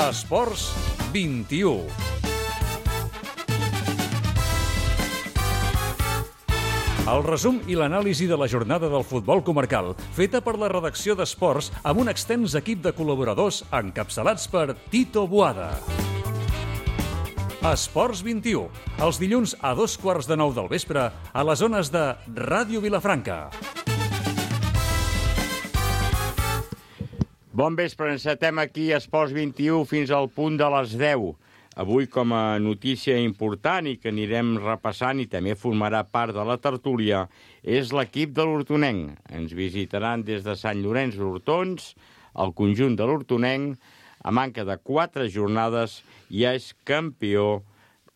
Esports 21. El resum i l'anàlisi de la jornada del futbol comarcal, feta per la redacció d'Esports amb un extens equip de col·laboradors encapçalats per Tito Boada. Esports 21, els dilluns a 8:15 del vespre a les zones de Ràdio Vilafranca. Bon vespre, encetem aquí a Esports 21 fins al punt de les 10. Avui, com a notícia important i que anirem repassant i també formarà part de la tertúlia, és l'equip de l'Hortonenc. Ens visitaran des de Sant Llorenç d'Hortons, el conjunt de l'Hortonenc, a manca de 4 jornades, ja és campió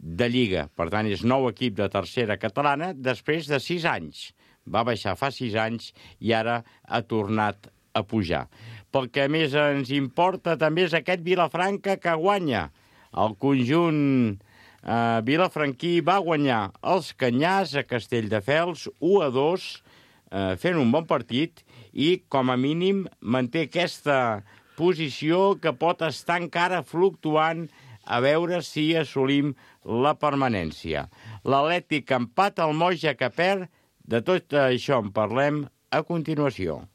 de Lliga. Per tant, és nou equip de tercera catalana després de 6 anys. Va baixar fa 6 anys i ara ha tornat a pujar. Pel que més ens importa també és aquest Vilafranca que guanya. El conjunt vilafranquí va guanyar els Canyars a Castelldefels 1-2, fent un bon partit i, com a mínim, manté aquesta posició que pot estar encara fluctuant a veure si assolim la permanència. L'Atlètic empat al Moja que perd. De tot això en parlem a continuació.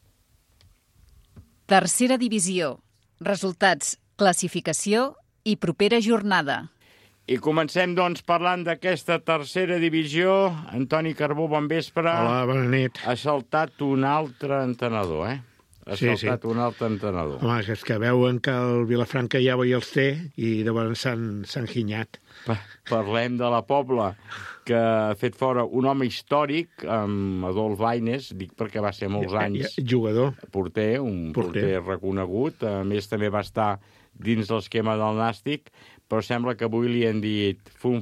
Tercera divisió. Resultats, classificació i propera jornada. I comencem, doncs, parlant d'aquesta tercera divisió. Antoni Carbó, bon vespre. Hola, bona nit. Ha saltat un altre entrenador, Ha saltat un altre entrenador. Home, és que veuen que el Vilafranca ja els té i llavors s'han ginyat. Parlem de la Pobla, que ha fet fora un home històric, amb Adolf Baines, dic perquè va ser molts anys jugador. Porter, un porter reconegut. A més, també va estar dins l'esquema del Nàstic, però sembla que avui li han dit fum,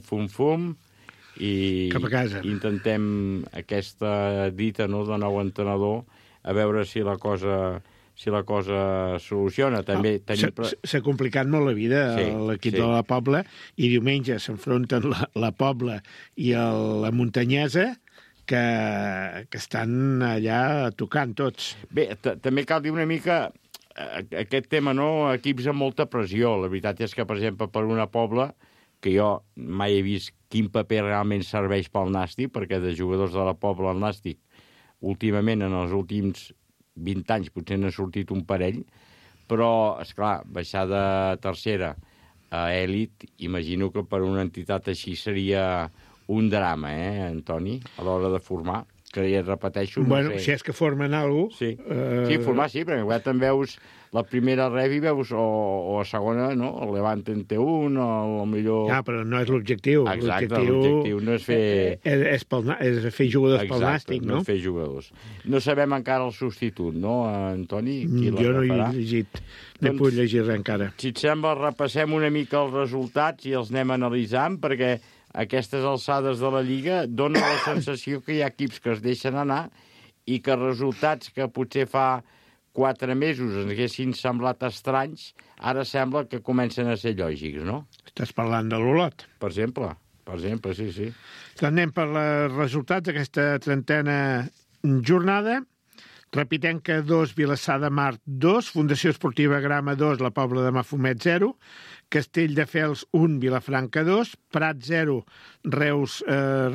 i cap a casa. Intentem aquesta dita de nou entrenador a veure si la cosa soluciona. També s'ha complicat molt la vida a l'equip de la Pobla i diumenge s'enfronten la Pobla i la Muntanyesa que estan allà tocant tots. Bé, també cal dir una mica aquest tema, equips amb molta pressió. La veritat és que, per exemple, per una Pobla, que jo mai he vist quin paper realment serveix pel Nàstic, perquè de jugadors de la Pobla al Nàstic, últimament, en els últims 20 anys, potser n'ha sortit un parell, però, esclar, baixar de tercera a èlit, imagino que per una entitat així seria un drama, Antoni, a l'hora de formar. Que ja repeteixo, no sé. Si és que formen alguna cosa... Sí, formar sí, perquè te'n veus la primera revi, veus, o a segona, no? El Levante en té un, o millor... Ja, però no és l'objectiu. Exacte, l'objectiu no és fer... És fer jugadors pel Nàstic, no? No fer jugadors. No sabem encara el substitut, no, Antoni? Jo no he llegit, no he pogut llegir res encara. Si et sembla, repassem una mica els resultats i els anem analitzant, perquè a aquestes alçades de la Lliga dona la sensació que hi ha equips que es deixen anar i que resultats que potser fa 4 mesos ens haguessin semblat estranys, ara sembla que comencen a ser lògics, no? Estàs parlant de l'Olot? Per exemple, sí. Doncs anem per els resultats d'aquesta 30a jornada. Repitenca 2, Vilassar de Mar 2, Fundació Esportiva Grama 2, la Pobla de Mafumet 0, Castelldefels 1, Vilafranca 2, Prat 0, Reus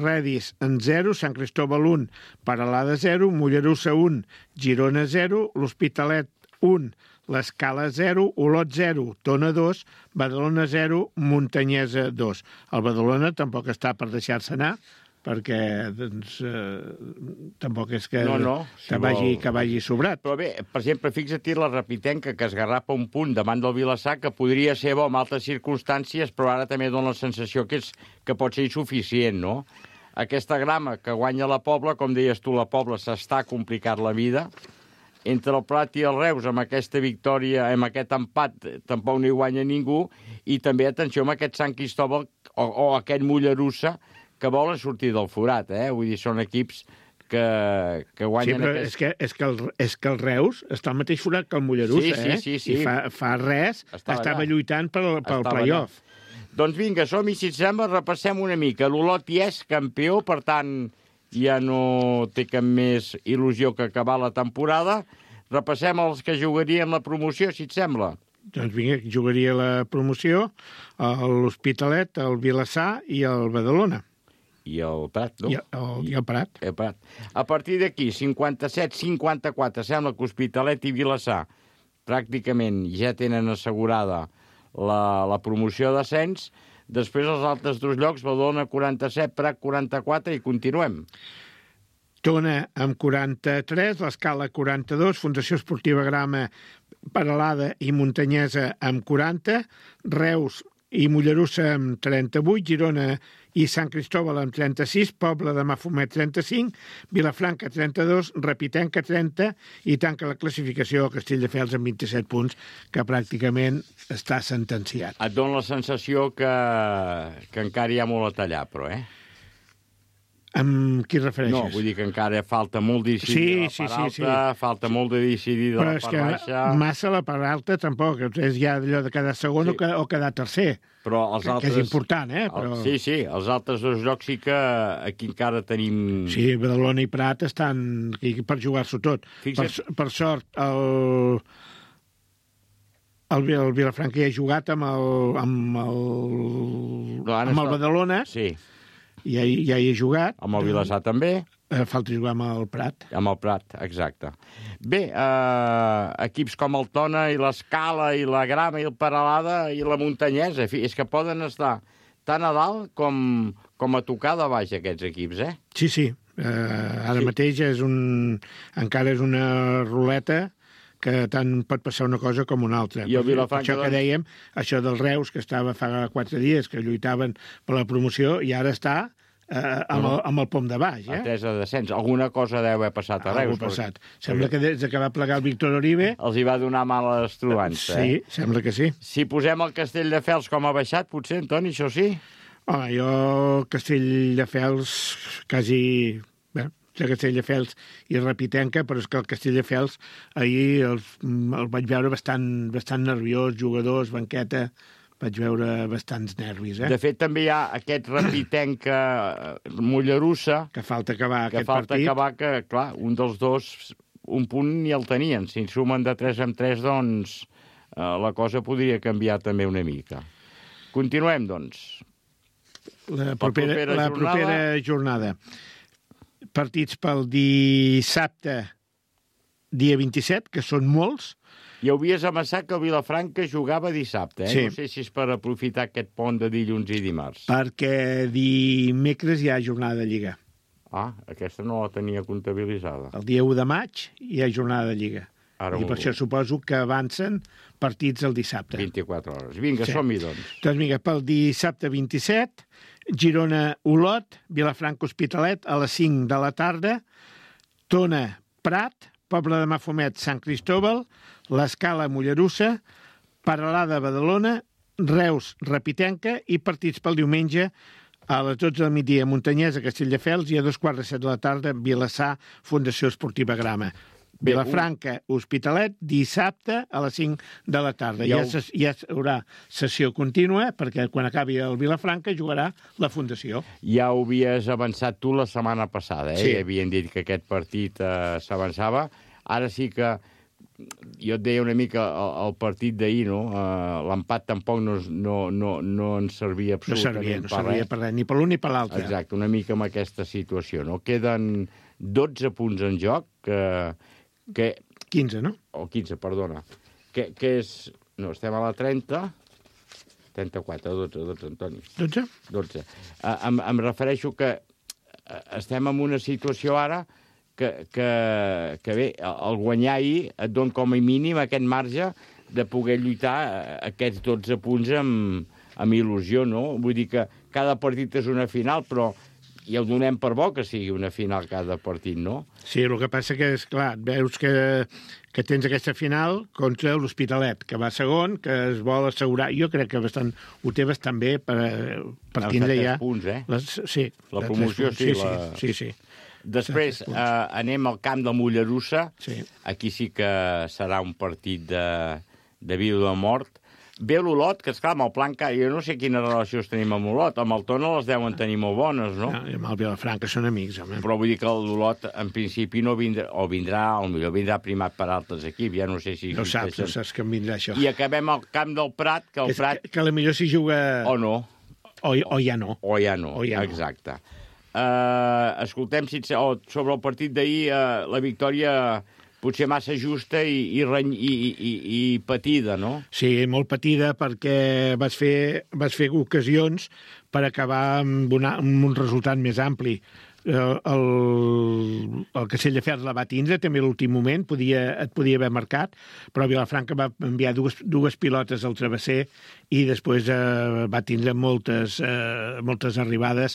Redis en 0, Sant Cristóbal 1, Paralada 0, Mollerussa 1, Girona 0, l'Hospitalet 1, l'Escala 0, Olot 0, Tona 2, Badalona 0, Muntanyesa 2. El Badalona tampoc està per deixar-se anar, perquè tampoc és que vagi sobrat. Però bé, per exemple, fixa't la Repitenca, que esgarrapa un punt davant del Vilassar, que podria ser bo en altres circumstàncies, però ara també dona la sensació que pot ser insuficient, no? Aquesta Grama que guanya la Pobla, com deies tu, la Pobla s'està complicat la vida. Entre el Prat i el Reus, amb aquesta victòria, amb aquest empat, tampoc no hi guanya ningú. I també, atenció, amb aquest Sant Cristóbal o aquest Mollerussa, que volen sortir del forat, Vull dir, són equips que guanyen... Sí, però és que el Reus està al mateix forat que el Mollerussa, Sí. I fa res estava lluitant pel play-off. Doncs vinga, som-hi, si et sembla, repassem una mica. L'Olot ja és campió, per tant, ja no té cap més il·lusió que acabar la temporada. Repassem els que jugarien la promoció, si et sembla. Doncs vinga, jugaria la promoció l'Hospitalet, el Vilassar i el Badalona. I el Prat, no? I el Prat. El Prat. A partir d'aquí, 57-54, sembla que Hospitalet i Vilassar pràcticament ja tenen assegurada la promoció d'ascens. Després els altres dos llocs, Badalona 47, Prat 44 i continuem. Tona amb 43, l'Escala 42, Fundació Esportiva Grama, Peralada i Muntanyesa amb 40, Reus i Mollerussa amb 38, Girona i Sant Cristòbal amb 36, Pobla de Mafumet 35, Vilafranca 32, Repitenca 30 i tanca la classificació Castelldefels amb 27 punts, que pràcticament està sentenciat. Et dona la sensació que encara hi ha molt a tallar, però, Amb qui refereixes? No, vull dir que encara falta molt de decidir de la part alta, falta molt de decidir de la part baixa. Però és que massa la part alta tampoc, és ja allò de quedar segon o quedar tercer. Però els altres... Que és important, Però... Sí, els altres dos jocs sí que aquí encara tenim... Sí, Badalona i Prat estan aquí per jugar-s'ho tot. Per sort, el Vilafranca ja ha jugat amb el Badalona. Sí. Ja hi ha jugat. Amb el Vilassar també. Falta jugar amb el Prat. Amb el Prat, exacte. Bé, equips com el Tona i l'Escala i la Grama i el Peralada i la Muntanyesa, en fi, és que poden estar tan a dalt com a tocar de baix aquests equips, Sí. Ara mateix encara és una ruleta que tant pot passar una cosa com una altra. I el Vilafranca, això que dèiem, això del Reus, que estava fa 4 dies, que lluitaven per la promoció, i ara està amb el pom de baix. Atesa de descens. Alguna cosa deu haver passat a Reus. Sembla que des que va plegar el Víctor Oribe... Els hi va donar males trobants. Sí, sembla que sí. Si posem el Castelldefels com ha baixat, potser, Antoni, això sí? Home, jo Castelldefels quasi... de Castelldefels i Repitenca, però és que el Castelldefels ahir el vaig veure bastant nerviós, jugadors, banqueta, vaig veure bastants nervis. De fet, també hi ha aquest Repitenca Mollerussa... Que falta acabar aquest partit. Que falta acabar, que, clar, un dels dos, un punt ni el tenien. Si en sumen de 3 en 3, doncs, la cosa podria canviar també una mica. Continuem, doncs. La propera jornada. Partits pel dissabte, dia 27, que són molts. I havies amassat que el Vilafranca jugava dissabte, Sí. No sé si és per aprofitar aquest pont de dilluns i dimarts. Perquè dimecres hi ha jornada de Lliga. Aquesta no la tenia comptabilitzada. El dia 1 de maig hi ha jornada de Lliga. I per això suposo que avancen partits el dissabte. 24 hores. Vinga, som-hi, doncs. Doncs vinga, pel dissabte 27, Girona-Olot, Vilafranca-Hospitalet a les 5 de la tarda, Tona-Prat, Pobla de Mafumet, Sant Cristòbal, l'Escala-Mollerussa, Peralada-Badalona, Reus-Repitenca i partits pel diumenge a les 12 del migdia, Muntanyesa, Castelldefels, i a 2:15 de la tarda, Vilassar, Fundació Esportiva Grama. Vilafranca, Hospitalet, dissabte a les 5 de la tarda. Ja hi haurà sessió contínua, perquè quan acabi el Vilafranca jugarà la Fundació. Ja ho havies avançat tu la setmana passada, Sí. Havien dit que aquest partit s'avançava. Ara sí que jo et deia una mica el partit d'ahir, no? L'empat tampoc no ens servia absolutament No servia per res, ni per l'un ni per l'altre. Exacte, una mica amb aquesta situació, no? Queden 12 punts en joc, que 15, no? O 15, perdona. Que és... No, estem a la 30... 34, 12, Antoni. 12? Em refereixo que estem en una situació ara que bé, el guanyar ahir et dona com a mínim aquest marge de poder lluitar aquests 12 punts amb il·lusió, no? Vull dir que cada partit és una final, però ja ho donem per bo que sigui una final cada partit, no? Sí, el que passa que és, clar, veus que tens aquesta final contra l'Hospitalet, que va segon, que es vol assegurar. Jo crec que ho té bastant bé per tindre ja... 3 punts, Sí. La promoció, Sí. Després anem al camp de Mollerussa. Sí. Aquí sí que serà un partit de vida o de mort. Ve l'Olot, que esclar, amb el Plan jo no sé quines relacions tenim amb l'Olot, amb el Tona les deuen tenir molt bones, no? I amb el Vilafranca són amics, home. Però vull dir que l'Olot, en principi, no vindrà, o millor vindrà primat per altres equips, ja no sé si... No saps que em vindrà això. I acabem al camp del Prat, que el Prat... Que potser s'hi juga... O no. O ja no. O ja no, exacte. Escoltem, sobre el partit d'ahir, la victòria... potser massa justa i patida, no? Sí, molt patida, perquè vas fer ocasions per acabar amb un resultat més ampli. El Castelldefels la va tindre també a l'últim moment, et podia haver marcat, però Vilafranca va enviar dues pilotes al travesser i després va tindre moltes arribades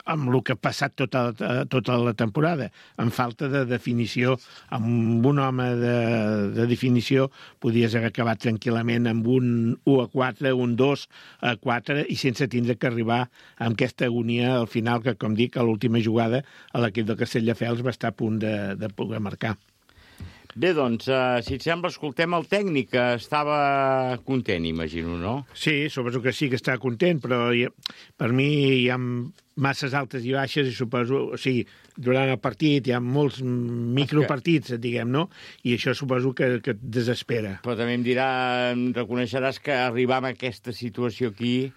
amb el que ha passat tota la temporada, amb falta de definició. Amb un home de definició podies haver acabat tranquil·lament amb un 1-4, un 2-4, i sense tindre que arribar amb aquesta agonia al final, que, com dic, a l'última jugada l'equip del Castelldefels va estar a punt de poder marcar. Bé, doncs, si et sembla, escoltem el tècnic, que estava content, imagino, no? Sí, suposo que sí que està content, però per mi hi ha masses altes i baixes, i suposo, o sigui, durant el partit hi ha molts micropartits, diguem, no? I això suposo que et desespera. Però també em reconeixeràs que arribar a aquesta situació aquí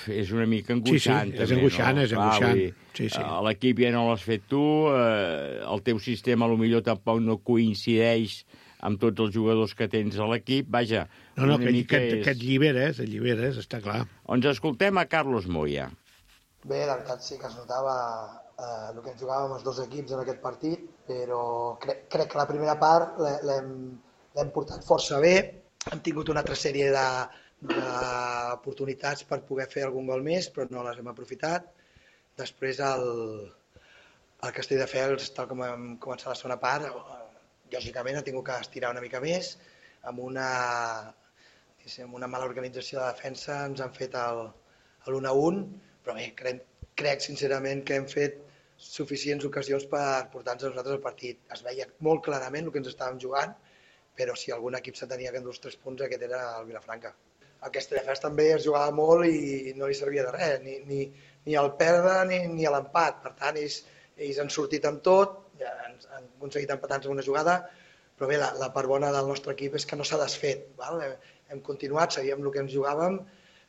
és una mica angoixant. Sí, és angoixant, no? És angoixant. Sí. L'equip ja no l'has fet tu, el teu sistema potser tampoc no coincideix amb tots els jugadors que tens a l'equip. Vaja, no, que et lliberes, està clar. Ens escoltem a Carlos Moya. Bé, la veritat sí que es notava el que ens jugàvem els dos equips en aquest partit, però crec que la primera part l'hem portat força bé. Hem tingut una altra sèrie d'oportunitats per poder fer algun gol més, però no les hem aprofitat. Després el Castelldefels, tal com hem començat la segona part, lògicament ha tingut que estirar una mica més. Amb una mala organització de defensa ens han fet l'1-1, però bé, crec sincerament que hem fet suficients ocasions per portar-nos a nosaltres al partit. Es veia molt clarament el que ens estàvem jugant, però si algun equip se tenia que endur els 3 punts, aquest era el Vilafranca. El Castelldefels també es jugava molt i no li servia de res, ni el perdre ni l'empat. Per tant, ells han sortit amb tot, han aconseguit empatar-nos en una jugada, però bé, la part bona del nostre equip és que no s'ha desfet. Hem continuat, sabíem el que ens jugàvem,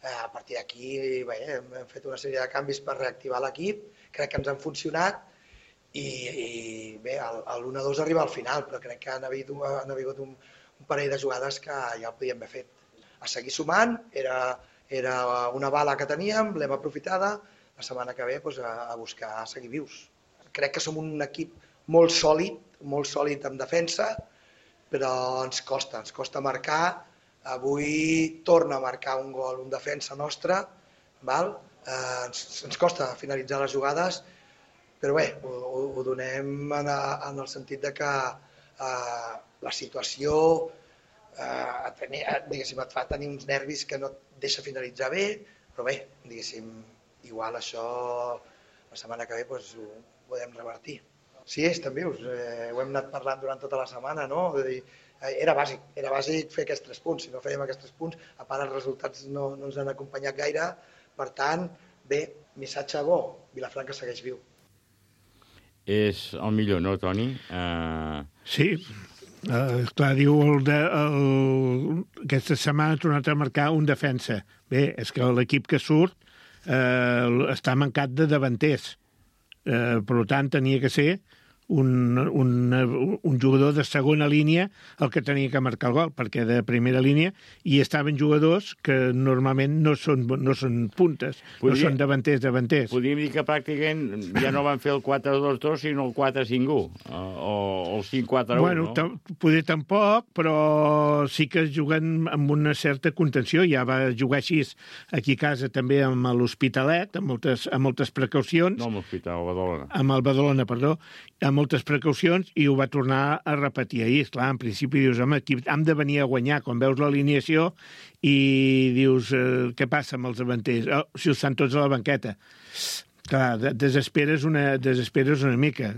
a partir d'aquí hem fet una sèrie de canvis per reactivar l'equip, crec que ens han funcionat, i bé, l'1-2 arriba al final, però crec que han hagut un parell de jugades que ja ho podíem haver fet. A seguir sumant, era una bala que teníem, l'hem aprofitada, la setmana que ve a buscar seguir vius. Crec que som un equip molt sòlid en defensa, però ens costa marcar. Avui torna a marcar un gol un defensa nostre, ens costa finalitzar les jugades, però bé, ho donem en el sentit de que la situació diguéssim, et fa tenir uns nervis que no et deixa finalitzar bé, però bé, diguéssim, igual això la setmana que ve ho podem revertir. Sí, estem vius, ho hem anat parlant durant tota la setmana, no? Era bàsic fer aquests 3 punts, si no fèiem aquests 3 punts, a part els resultats no ens han acompanyat gaire, per tant, bé, missatge bo, Vilafranca segueix viu. És el millor, no, Toni? Sí, clar, diu aquesta setmana ha tornat a marcar un defensa. Bé, és que l'equip que surt està mancat de davanters. Per tant, tenia que ser un jugador de segona línia el que tenia que marcar el gol, perquè de primera línia hi estaven jugadors que normalment no són puntes, no són davanters. Podríem dir que pràcticament ja no van fer el 4-2-2, sinó el 4-5-1, o el 5-4-1, bueno, no? Poder tampoc, però sí que juguen amb una certa contenció. Ja va jugar així aquí a casa també amb l'Hospitalet, amb moltes precaucions. No amb l'Hospital, el Badalona. Amb el Badalona, perdó, amb moltes precaucions, i ho va tornar a repetir ahir. Clar, en principi dius, home, aquí hem de venir a guanyar, quan veus l'alineació i dius, què passa amb els davanters? Si els estan tots a la banqueta. Clar, desesperes una mica.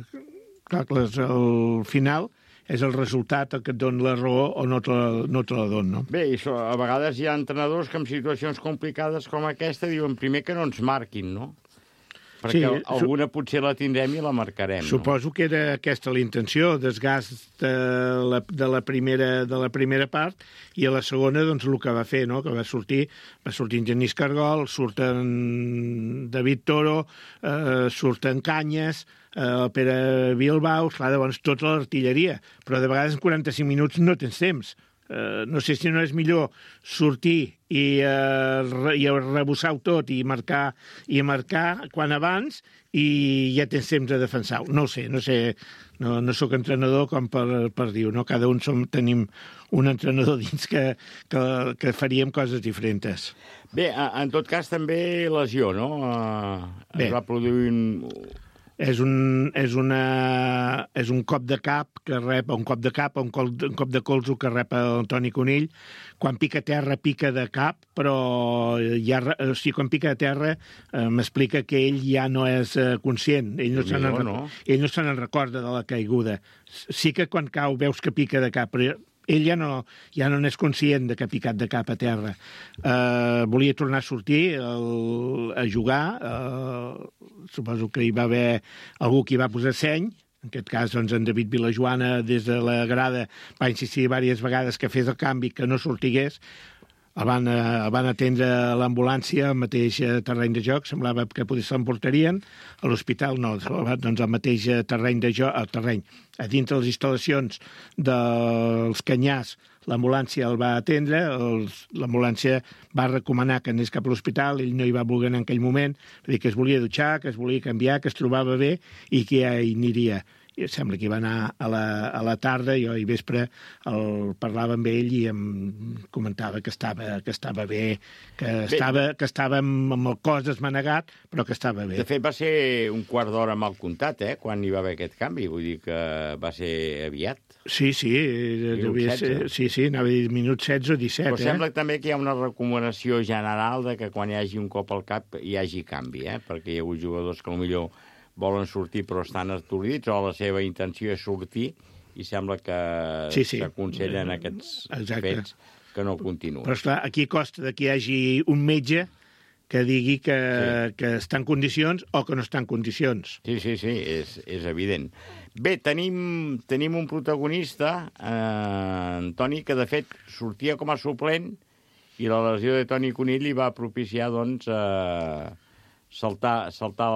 Clar, al final és el resultat el que et dona la raó o no te la dona, no? Bé, i a vegades hi ha entrenadors que en situacions complicades com aquesta diuen primer que no ens marquin, no? Perquè alguna potser la tindrem i la marcarem. Suposo que era aquesta la intenció, desgast de la primera part, i a la segona, doncs, el que va fer, no?, que va sortir en Genís Cargol, surten David Toro, surten Canyes, el Pere Bilbao, clar, llavors tota l'artilleria, però de vegades en 45 minuts no tens temps. No sé si no és millor sortir i rebussar-ho tot i marcar quan abans i ja tens temps de defensar-ho. No ho sé, no sóc entrenador com per dir-ho, no? Cada un tenim un entrenador dins que faríem coses diferents. Bé, en tot cas també lesió, no? Es va produir És un cop de cap que rep, un cop de colze que rep el Toni Conill. Quan pica a terra, pica de cap, però quan pica a terra m'explica que ell ja no és conscient. Ell no se n'en recorda de la caiguda. Sí que quan cau veus que pica de cap, però ell ja no n'és conscient de que ha picat de cap a terra. Volia tornar a sortir a jugar. Suposo que hi va haver algú que hi va posar seny. En aquest cas, doncs, en David Vilajoana, des de la grada, va insistir diverses vegades que fes el canvi, que no sortigués. El van atendre a l'ambulància al mateix terreny de joc, semblava que potser s'emportarien. A l'hospital no, doncs al mateix terreny de joc, a dintre les instal·lacions dels Canyars, l'ambulància el va atendre, l'ambulància va recomanar que anés cap a l'hospital, ell no hi va voler anar en aquell moment, va dir que es volia dutxar, que es volia canviar, que es trobava bé i que ja hi aniria. I sembla que hi va anar a la tarda, jo i vespre parlava amb ell i em comentava que estava bé, que estava amb el cos desmanegat, però que estava bé. De fet, va ser un quart d'hora mal comptat, quan hi va haver aquest canvi, vull dir que va ser aviat. Sí, anava a dir minut 16 o 17. Però sembla també que hi ha una recomanació general de que quan hi hagi un cop al cap hi hagi canvi, perquè hi ha hagut jugadors que potser volen sortir però estan atordits o la seva intenció és sortir i sembla que s'aconsellen aquests fets que no continuen. Però esclar, aquí costa que hi hagi un metge que digui que està en condicions o que no està en condicions. Sí, és evident. Bé, tenim un protagonista, Toni, que de fet sortia com a suplent i la lesió de Toni Conill li va propiciar, doncs, saltar a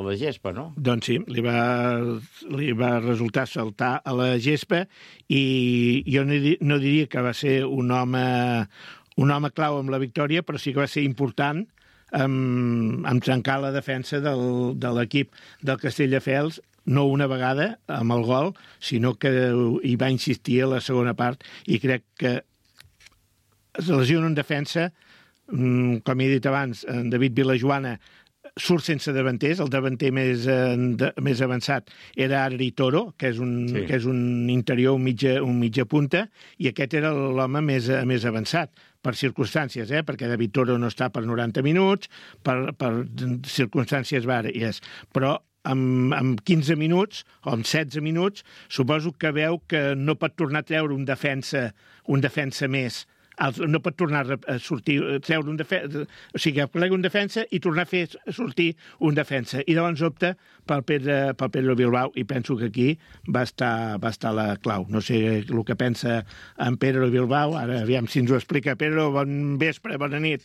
la gespa, no? Doncs sí, li va resultar saltar a la gespa i jo no diria que va ser un home clau amb la victòria, però sí que va ser important en trencar la defensa de l'equip del Castelldefels, no una vegada amb el gol, sinó que hi va insistir a la segona part i crec que es lesiona en defensa, com he dit abans, en David Vilajoana surt sense davanters, el davanter més avançat era Ari Toro, que és un interior, un mitja punta, i aquest era l'home més avançat, per circumstàncies, perquè David Toro no està per 90 minuts, per circumstàncies vàries, però amb 15 minuts o amb 16 minuts suposo que veu que no pot tornar a treure un defensa més, no pot tornar a sortir, treure un defensa, o sigui, plega un defensa i tornar a fer sortir un defensa. I llavors opta pel Pedro Bilbao i penso que aquí va estar la clau. No sé el que pensa en Pedro Bilbao, ara aviam si ens ho explica. Pedro, bon vespre, bona nit.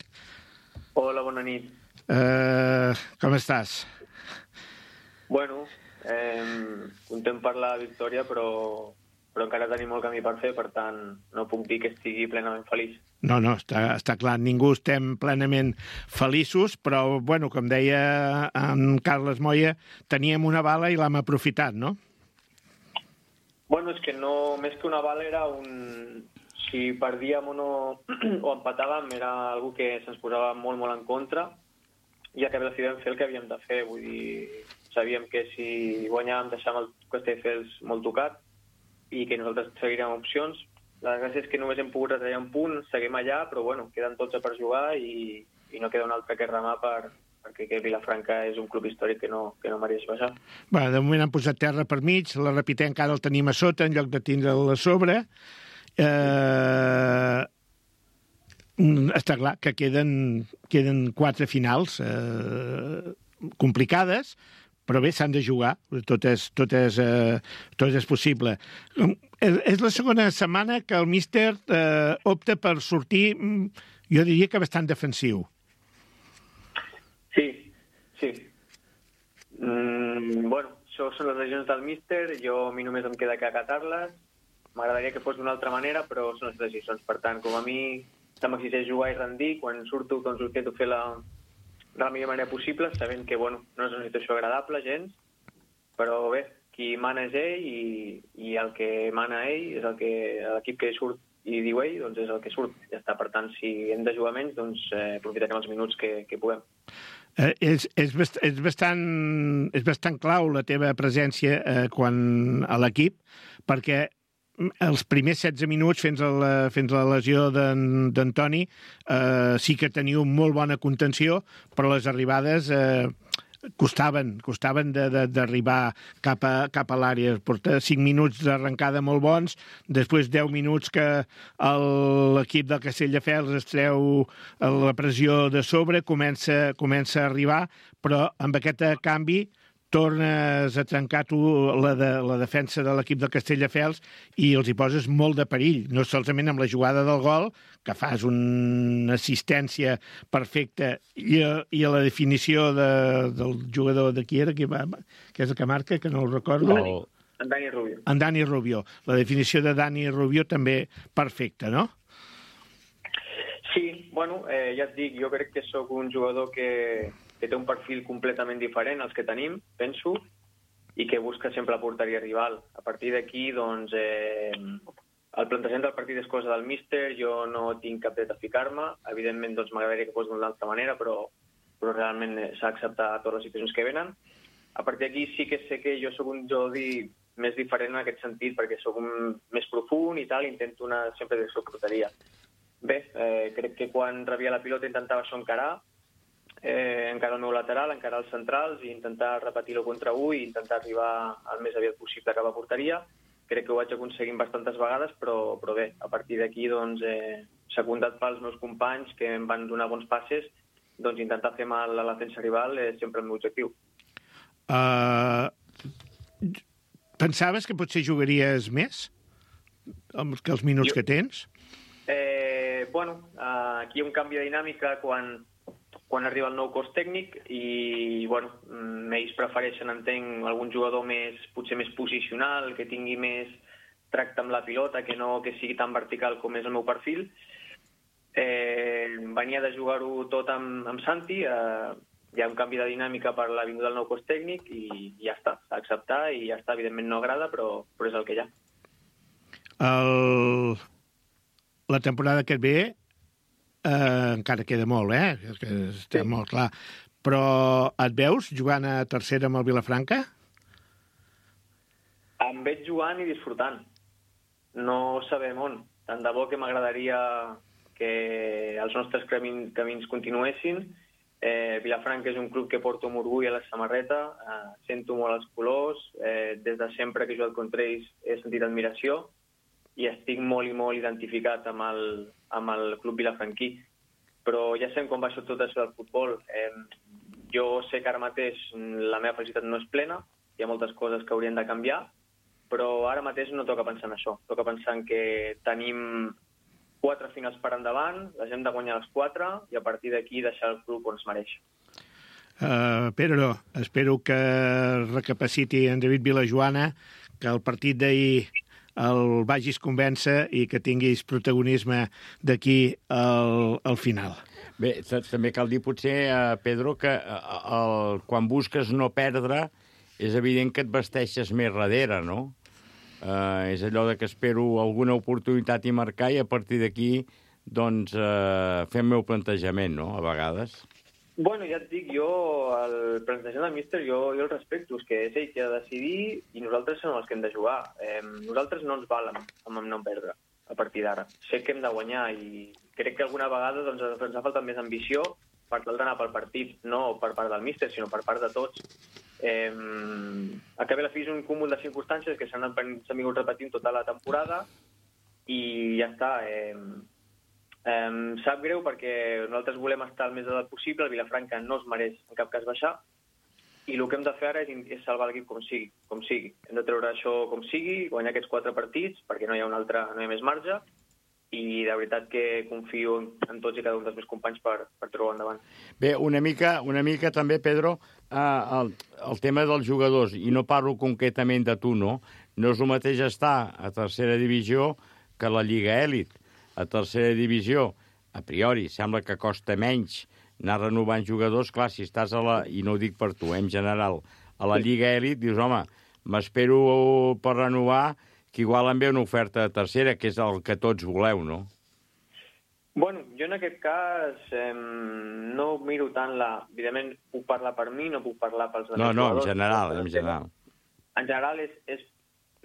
Hola, bona nit. Com estàs? Bueno, content per la victòria, però encara tenim molt camí per fer, per tant, no puc dir que estigui plenament feliç. No, està clar, ningú estem plenament feliços, però, bueno, com deia en Carles Moya, teníem una bala i l'hem aprofitat, no? Bueno, és que no, més que una bala era si perdíem o no, o empatàvem, era algo que se'ns posava molt, molt en contra, ja que vam fer el que havíem de fer, vull dir, sabíem que si guanyàvem deixàvem el Castelldefels molt tocat, i que nosaltres seguirem opcions. La gràcia és que només hem pogut retallar un punt, seguim allà, però bueno, queden 12 per jugar i no queda un altre que remar per perquè que Vilafranca és un club històric que no mereix baixar. Bé, de moment han posat terra per mig, la Repitent encara el tenim a sota en lloc de tindre'l a sobre. Està clar que queden 4 finals complicades, però bé, s'han de jugar, tot és possible. És la segona setmana que el míster opta per sortir, jo diria que bastant defensiu. Sí. Bueno, això són les decisions del míster, a mi només em queda que acatar-les. M'agradaria que fos d'una altra manera, però són les decisions. Per tant, com a mi m'exigeix jugar i rendir, quan surto, doncs ho intento fer de la millor manera possible, sabent que, bueno, no és una situació agradable, gens, però bé, qui mana és ell i el que mana ell és l'equip que surt i diu ell, doncs és el que surt. Ja està, per tant, si hem de jugar menys, doncs aprofitarem els minuts que puguem. És bastant clau la teva presència a l'equip, perquè els primers 16 minuts fins a la lesió d'Antoni sí que teniu molt bona contenció, però les arribades costaven d'arribar cap a l'àrea. Porta 5 minuts d'arrencada molt bons, després 10 minuts que l'equip del Castelldefels es treu la pressió de sobre, comença a arribar, però amb aquest canvi tornes a trencar tu la defensa de l'equip del Castelldefels i els hi poses molt de perill, no solament amb la jugada del gol, que fas una assistència perfecta, i a la definició del jugador de qui era, que és el que marca, que no el recordo. En Dani Rubio. En Dani Rubio. La definició de Dani Rubio també perfecta, no? Sí, bueno, ja et dic, jo crec que sóc un jugador que té un perfil completament diferent als que tenim, penso, i que busca sempre la porteria rival. A partir d'aquí, doncs, el plantejament del partit és cosa del míster, jo no tinc cap dret a ficar-me, evidentment doncs, m'agradaria que fos d'una altra manera, però realment s'ha d'acceptar totes les situacions que venen. A partir d'aquí sí que sé que jo sóc un Jordi més diferent en aquest sentit, perquè sóc més profund i tal, intento anar sempre de porteria. Bé, crec que quan rebia la pilota intentava això encarar el meu lateral, encarar els centrals i intentar repetir-ho contra 1 i intentar arribar el més aviat possible a cap a porteria. Crec que ho vaig aconseguir bastantes vegades, però bé, a partir d'aquí, doncs, secundat pels meus companys que em van donar bons passes, doncs intentar fer mal a la defensa rival és sempre el meu objectiu. Pensaves que potser jugaries més que els minuts que tens? Bueno, aquí hi ha un canvi de dinàmica quan arriba el nou cos tècnic i, bueno, ells prefereixen, entenc, algun jugador potser més posicional, que tingui més tracte amb la pilota, que no que sigui tan vertical com és el meu perfil. Venia de jugar-ho tot amb Santi, hi ha un canvi de dinàmica per la vinguda del nou cos tècnic i ja està, s'ha d'acceptar i ja està, evidentment no agrada, però és el que hi ha. La temporada que et ve encara queda molt, que està molt clar. Però et veus jugant a tercera amb el Vilafranca? Em veig jugant i disfrutant. No sabem on. Tant de bo que m'agradaria que els nostres camins continuessin. Vilafranca és un club que porto amb orgull a la samarreta, sento molt els colors, des de sempre que he jugat contra ells he sentit admiració i estic molt i molt identificat amb el club vilafranquí. Però ja sabem com va tot això del futbol. Jo sé que ara mateix la meva felicitat no és plena, hi ha moltes coses que haurien de canviar, però ara mateix no toca pensar en això. Toca pensar en que tenim 4 finals per endavant, les hem de guanyar les 4 i a partir d'aquí deixar el club on es mereix. Pedro, espero que recapaciti en David Vilajoana, que el partit d'ahir el vagis convèncer i que tinguis protagonisme d'aquí al final. Bé, també cal dir potser, Pedro, que quan busques no perdre és evident que et vesteixes més darrere, no? És allò de que espero alguna oportunitat i marcar i a partir d'aquí doncs fer el meu plantejament, no?, a vegades. Bueno, ja et dic, jo el plantejament del míster jo el respecto, és que és ell qui ha de decidir i nosaltres som els que hem de jugar. Nosaltres no ens valem amb no perdre a partir d'ara. Sé que hem de guanyar i crec que alguna vegada doncs, ens ha faltat més ambició per tal d'anar pel partit, no per part del míster, sinó per part de tots. Al cap i a la fi és un cúmul de circumstàncies que s'han vingut repetint tota la temporada i ja està. Sap greu perquè nosaltres volem estar el més a dalt possible, el Vilafranca no es mereix en cap cas baixar, i el que hem de fer ara és salvar l'equip com sigui. Hem de treure això com sigui, guanyar aquests 4 partits, perquè no hi ha més marge, i de veritat que confio en tots i cada un dels meus companys per treure endavant. Bé, una mica també, Pedro, el tema dels jugadors, i no parlo concretament de tu, no? No és el mateix estar a tercera divisió que a la Lliga Èlit. A tercera divisió, a priori, sembla que costa menys anar renovant jugadors. Clar, si estàs i no ho dic per tu, en general, a la Lliga Èlit, dius, home, m'espero per renovar, que igual em ve una oferta de tercera, que és el que tots voleu, no? Bueno, jo en aquest cas no miro tant Evidentment, puc parlar per mi, no puc parlar pels altres jugadors. No, en general. En general és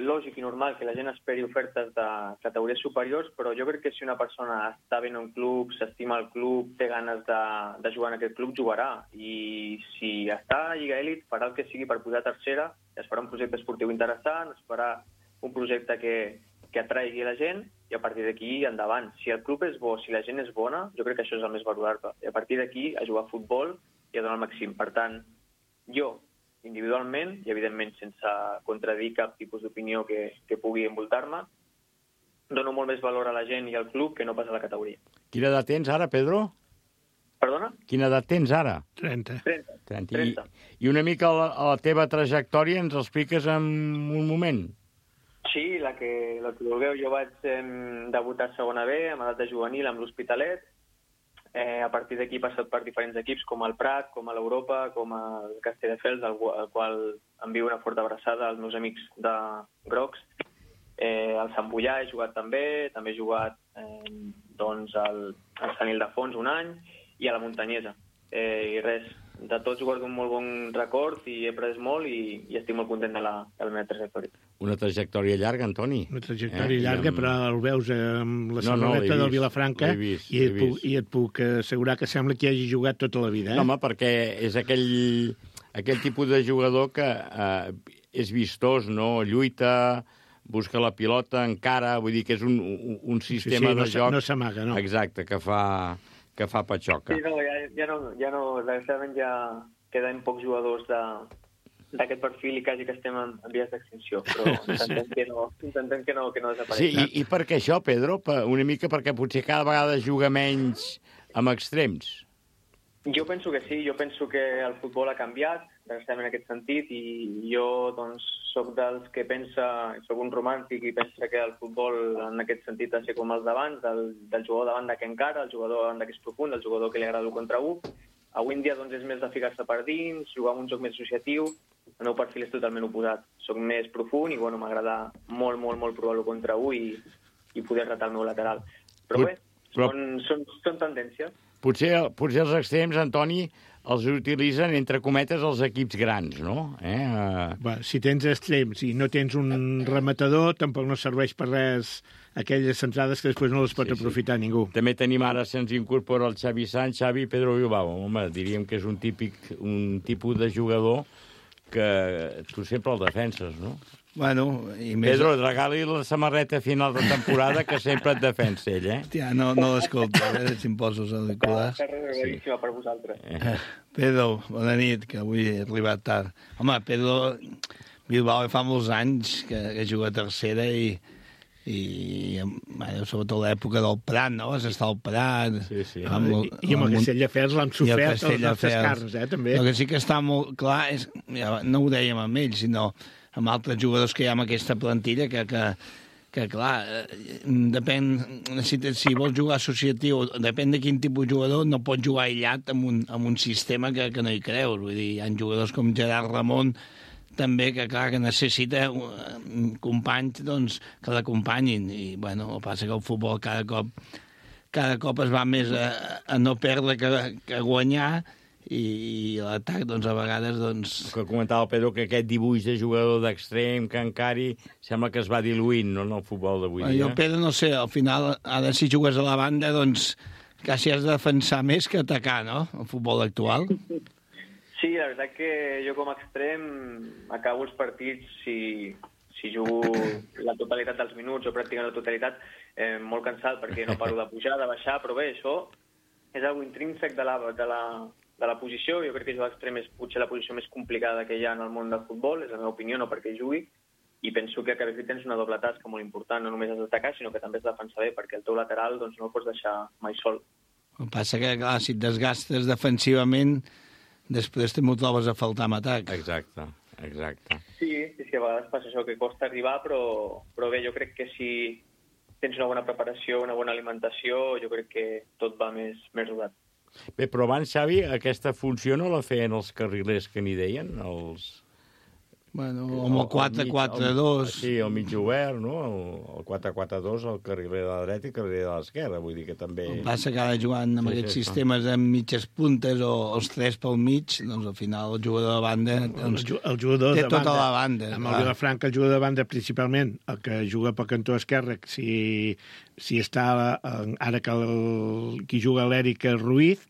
lògic i normal que la gent esperi ofertes de categories superiors, però jo crec que si una persona està bé en un club, s'estima el club, té ganes de jugar en aquest club, jugarà. I si està a Lliga Èlit, farà el que sigui per pujar a tercera, es farà un projecte esportiu interessant, es farà un projecte que atraigui la gent, i a partir d'aquí endavant. Si el club és bo, si la gent és bona, jo crec que això és el més valorable. I a partir d'aquí a jugar a futbol i a donar el màxim. Per tant, jo, individualment, i evidentment sense contradir cap tipus d'opinió que pugui envoltar-me, dono molt més valor a la gent i al club que no pas a la categoria. Quina edat tens ara, Pedro? Perdona? Quina edat tens ara? 30. I una mica la teva trajectòria ens expliques en un moment? Sí, la que vulgueu. Jo vaig debutar a segona B, amb edat de juvenil, amb l'Hospitalet. A partir d'aquí he passat per diferents equips, com el Prat, com a l'Europa, com el Castelldefels, al qual envio una forta abraçada als meus amics de Grocs. Al Sant Boià he jugat també he jugat al Sant Ildefons un any, i a la Muntanyesa. I res, de tots guardo un molt bon record i he après molt i estic molt content de la meva trajectòria. Una trajectòria llarga, Antoni. Una trajectòria llarga, però el veus amb la samarreta del Vilafranca i et puc assegurar que sembla que hagi jugat tota la vida. No, home, perquè és aquell tipus de jugador que és vistós, no? Lluita, busca la pilota, encara, vull dir que és un sistema de joc... No s'amaga, no? Exacte, que fa patxoca. Sí, no, desgraciadament ja queden pocs jugadors d'aquest perfil i quasi que estem en vies d'extinció, però intentem que no desapareixi. Sí, i per què això, Pedro? Una mica perquè potser cada vegada juga menys amb extrems. Jo penso que sí, jo penso que el futbol ha canviat, desgraciadament en aquest sentit, i jo doncs soc dels que soc un romàntic i pensa que el futbol en aquest sentit ha de ser com els d'abans, del jugador de banda que encara, el jugador de banda que és profund, el jugador que li agrada l'1 contra 1. Avui en dia doncs, és més de ficar-se per dins, jugar amb un joc més associatiu. El meu perfil és totalment oposat. Soc més profund i m'agrada molt provar l'1 contra 1 i poder retar el meu lateral. Però bé, són tendències. Potser els extrems, Antoni, els utilitzen, entre cometes, els equips grans, no? Si tens extrems i no tens un rematador, tampoc no serveix per res aquelles centrades que després no les pot aprofitar ningú. També tenim ara, se'ns incorpora el Xavi Sant, Xavi Pedro Bilbao. Home, diríem que és un tipus de jugador que tu sempre el defenses, no? Bueno, i més... Pedro, regali la samarreta a final de temporada que sempre et defensa ell, Hòstia, no l'escolta, si em poso els auriculars. Boníssima per vosaltres. Pedro, bona nit, que avui he arribat tard. Home, Pedro Bilbao fa molts anys que juga a tercera i sobretot l'època del Prat, no? Vas estar al Prat... Sí. I amb el Castelldefels l'han sofert els nostres carns, també. El que sí que està molt clar és... No ho dèiem amb ells, sinó amb altres jugadors que hi ha en aquesta plantilla que clar, depèn, si vols jugar associatiu, depèn de quin tipus de jugador, no pots jugar aïllat amb un sistema que no hi creus. Vull dir, hi ha jugadors com Gerard Ramon, també, que clar, que necessita companys, doncs, que l'acompanyin. I, bueno, el que passa que el futbol cada cop es va més a no perdre que a guanyar, i l'atac, doncs, a vegades, doncs... Que comentava el Pedro que aquest dibuix de jugador d'extrem, que encara sembla que es va diluint, no?, en el futbol d'avui dia. Jo, Pedro, no sé, al final, ara si jugues a la banda, doncs, quasi has de defensar més que atacar, no?, el futbol actual. Sí, la veritat que jo com a extrem acabo els partits, si jugo la totalitat dels minuts o pràcticament la totalitat, molt cansat perquè no paro de pujar, de baixar, però bé, això és algo intrínsec de la posició. Jo crec que jugar extrem és potser la posició més complicada que hi ha en el món del futbol, és la meva opinió, no perquè jugui, i penso que a cada tens una doble tasca molt important, no només has d'atacar, sinó que també has de defensar bé, perquè el teu lateral doncs, no el pots deixar mai sol. El que passa que, clar, si et desgastes defensivament, després també ho trobes a faltar en atac. Exacte. Sí, a vegades passa això, que costa arribar, però bé, jo crec que si tens una bona preparació, una bona alimentació, jo crec que tot va més rodat. Bé, però abans, Xavi, aquesta funció no la feien els carrilers que n'hi deien, els... Bueno, amb el 4-4-2... Sí, el mig obert, no? El 4-4-2, el carriler de la dreta i el carriler de l'esquerra, vull dir que també... El passa que ara jugant amb aquests sistemes amb mitges puntes o els 3 pel mig, doncs al final el jugador de banda doncs, el jugador té de tota banda, la banda. Amb el Vilafranca, el jugador de banda principalment, el que juga pel cantó esquerre, si està ara que qui juga l'Èric Ruiz,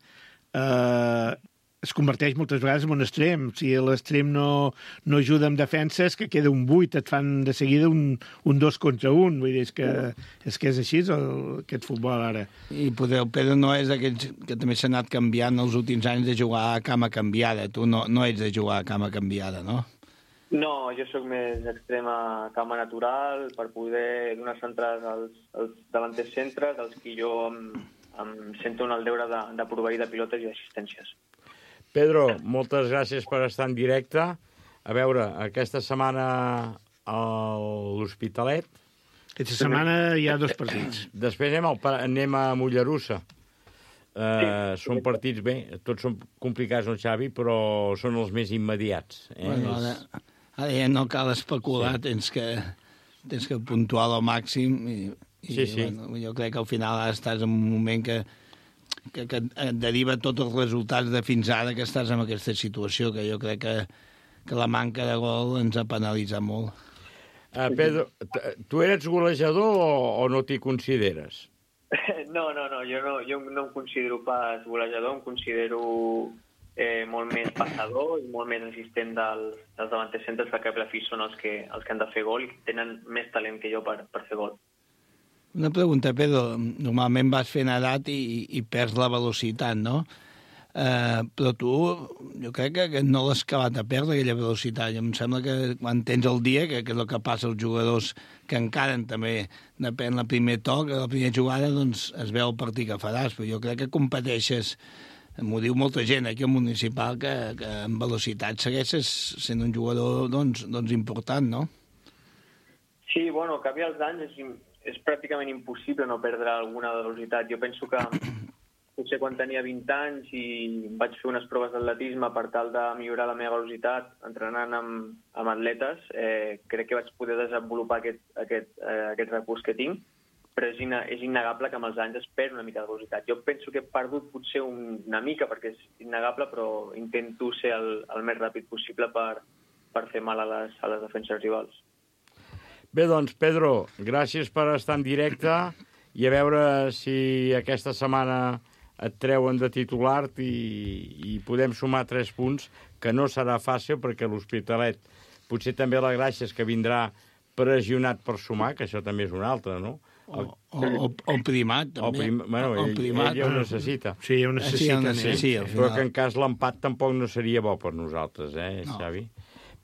es converteix moltes vegades en un extrem. Si l'extrem no ajuda amb defenses, que queda un 8, et fan de seguida un 2 contra 1. Vull dir, és que és així aquest futbol ara. I poder, el Pedro no és d'aquells que també s'ha anat canviant els últims anys de jugar a cama canviada. Tu no ets de jugar a cama canviada, no? No, jo sóc més extrem a cama natural per poder donar centrades als davanters centres, als qui jo em sento en el deure de proveir de pilotes i assistències. Pedro, moltes gràcies per estar en directe. A veure, aquesta setmana a l'Hospitalet. Aquesta setmana hi ha 2 partits. Després anem a Mollerussa. Són partits, bé, tots són complicats, no, Xavi, però són els més immediats. Bueno, ara ja no cal especular, sí. tens que puntuar al màxim i sí. Bueno, jo crec que al final estàs en un moment que et deriva tots els resultats de fins ara que estàs en aquesta situació, que jo crec que la manca de gol ens ha penalitzat molt. Pedro, tu eres golejador o no t'hi consideres? No, jo no em considero pas golejador, em considero molt més passador i molt més assistent dels davanters centres, perquè a la fi són els que han de fer gol i tenen més talent que jo per fer gol. Una pregunta, Pedro. Normalment vas fent edat i perds la velocitat, no? Però tu, jo crec que no l'has acabat de perdre, aquella velocitat. Em sembla que quan tens el dia, que és el que passa als jugadors que encaren també, depèn del primer toc, la primera jugada, doncs es veu el partit que faràs. Però jo crec que competeixes, m'ho diu molta gent aquí al municipal, que en velocitat segueixes sent un jugador doncs important, no? Sí, bueno, al cap i als anys és pràcticament impossible no perdre alguna velocitat. Jo penso que potser quan tenia 20 anys i vaig fer unes proves d'atletisme per tal de millorar la meva velocitat entrenant amb atletes, crec que vaig poder desenvolupar aquest recurs que tinc, però és innegable que amb els anys es perd una mica de velocitat. Jo penso que he perdut potser una mica, perquè és innegable, però intento ser el més ràpid possible per fer mal a les defenses rivals. Bé, doncs, Pedro, gràcies per estar en directe i a veure si aquesta setmana et treuen de titular i podem sumar 3 punts, que no serà fàcil perquè l'Hospitalet potser també la gràcia és que vindrà pressionat per sumar, que això també és una altra, no? O primat, també. El primat ja ho necessita. Sí, ja ho necessita. Sí, però que en cas l'empat tampoc no seria bo per nosaltres, Xavi?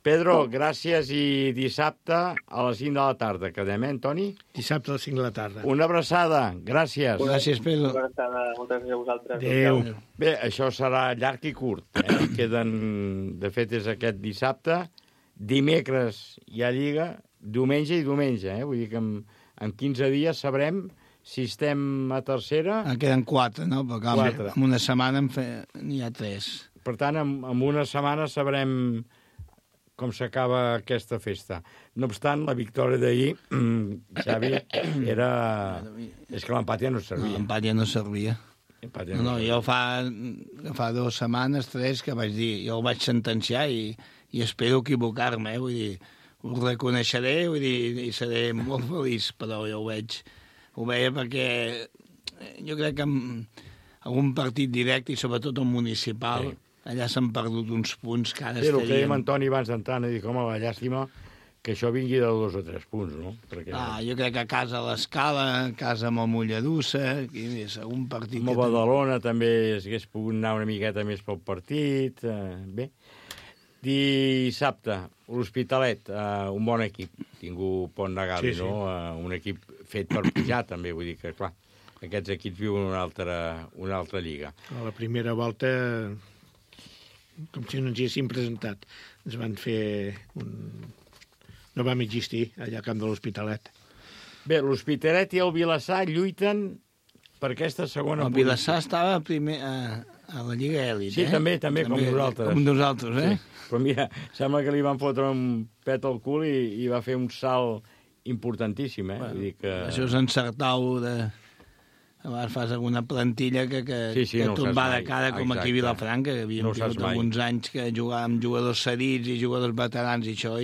Pedro, gràcies i dissabte a les 5 de la tarda. Quedem, Toni? Dissabte a les 5 de la tarda. Una abraçada. Gràcies. Gràcies, Pedro. Una abraçada. Moltes gràcies a vosaltres. Adéu. Bé, això serà llarg i curt. Queden, de fet, és aquest dissabte. Dimecres hi ha Lliga, diumenge i diumenge. Vull dir que en 15 dies sabrem si estem a tercera... Queden 4, no? Perquè en una setmana n'hi ha 3. Per tant, en una setmana sabrem com s'acaba aquesta festa. No obstant, la victòria d'ahir, Xavi, era... És que l'empat ja no servia. L'empat ja no servia. No, jo fa 2 setmanes, 3, que vaig dir, jo el vaig sentenciar i espero equivocar-me, vull dir, ho reconeixeré, vull dir, i seré molt feliç, però jo ho veia perquè jo crec que algun partit directe i sobretot el municipal, allà s'han perdut uns punts que ara Sí, el que dèiem estarien... Antoni abans d'entrar, dic, home, la llàstima que això vingui de 2 o 3 punts, no? Perquè... Jo crec que a casa a l'Escala, a casa amb el Mollerussa, aquí és algun partit... Amb el Badalona també s'hagués pogut anar una miqueta més pel partit. Bé, dissabte, l'Hospitalet, un bon equip. Ningú pot negar-li, Sí. no? Un equip fet per pujar, també. Vull dir que, clar, aquests equips viuen una altra lliga. A la primera volta, com si no ens hi haguéssim presentat, ens van fer un... No vam existir allà al camp de l'Hospitalet. Bé, l'Hospitalet i el Vilassar lluiten per aquesta segona El Vilassar estava primer a la Lliga Èlit, Sí, també, com nosaltres. Com nosaltres, eh? Sí. Però mira, sembla que li van fotre un pet al cul i va fer un salt importantíssim, eh? Vull dir que... Això és encertar-ho de... Abans fas alguna plantilla que no tot saps va de mai. cara, com Exacte. aquí a Vilafranca, que havíem tingut alguns anys que jugàvem jugadors cedits i jugadors veterans i això,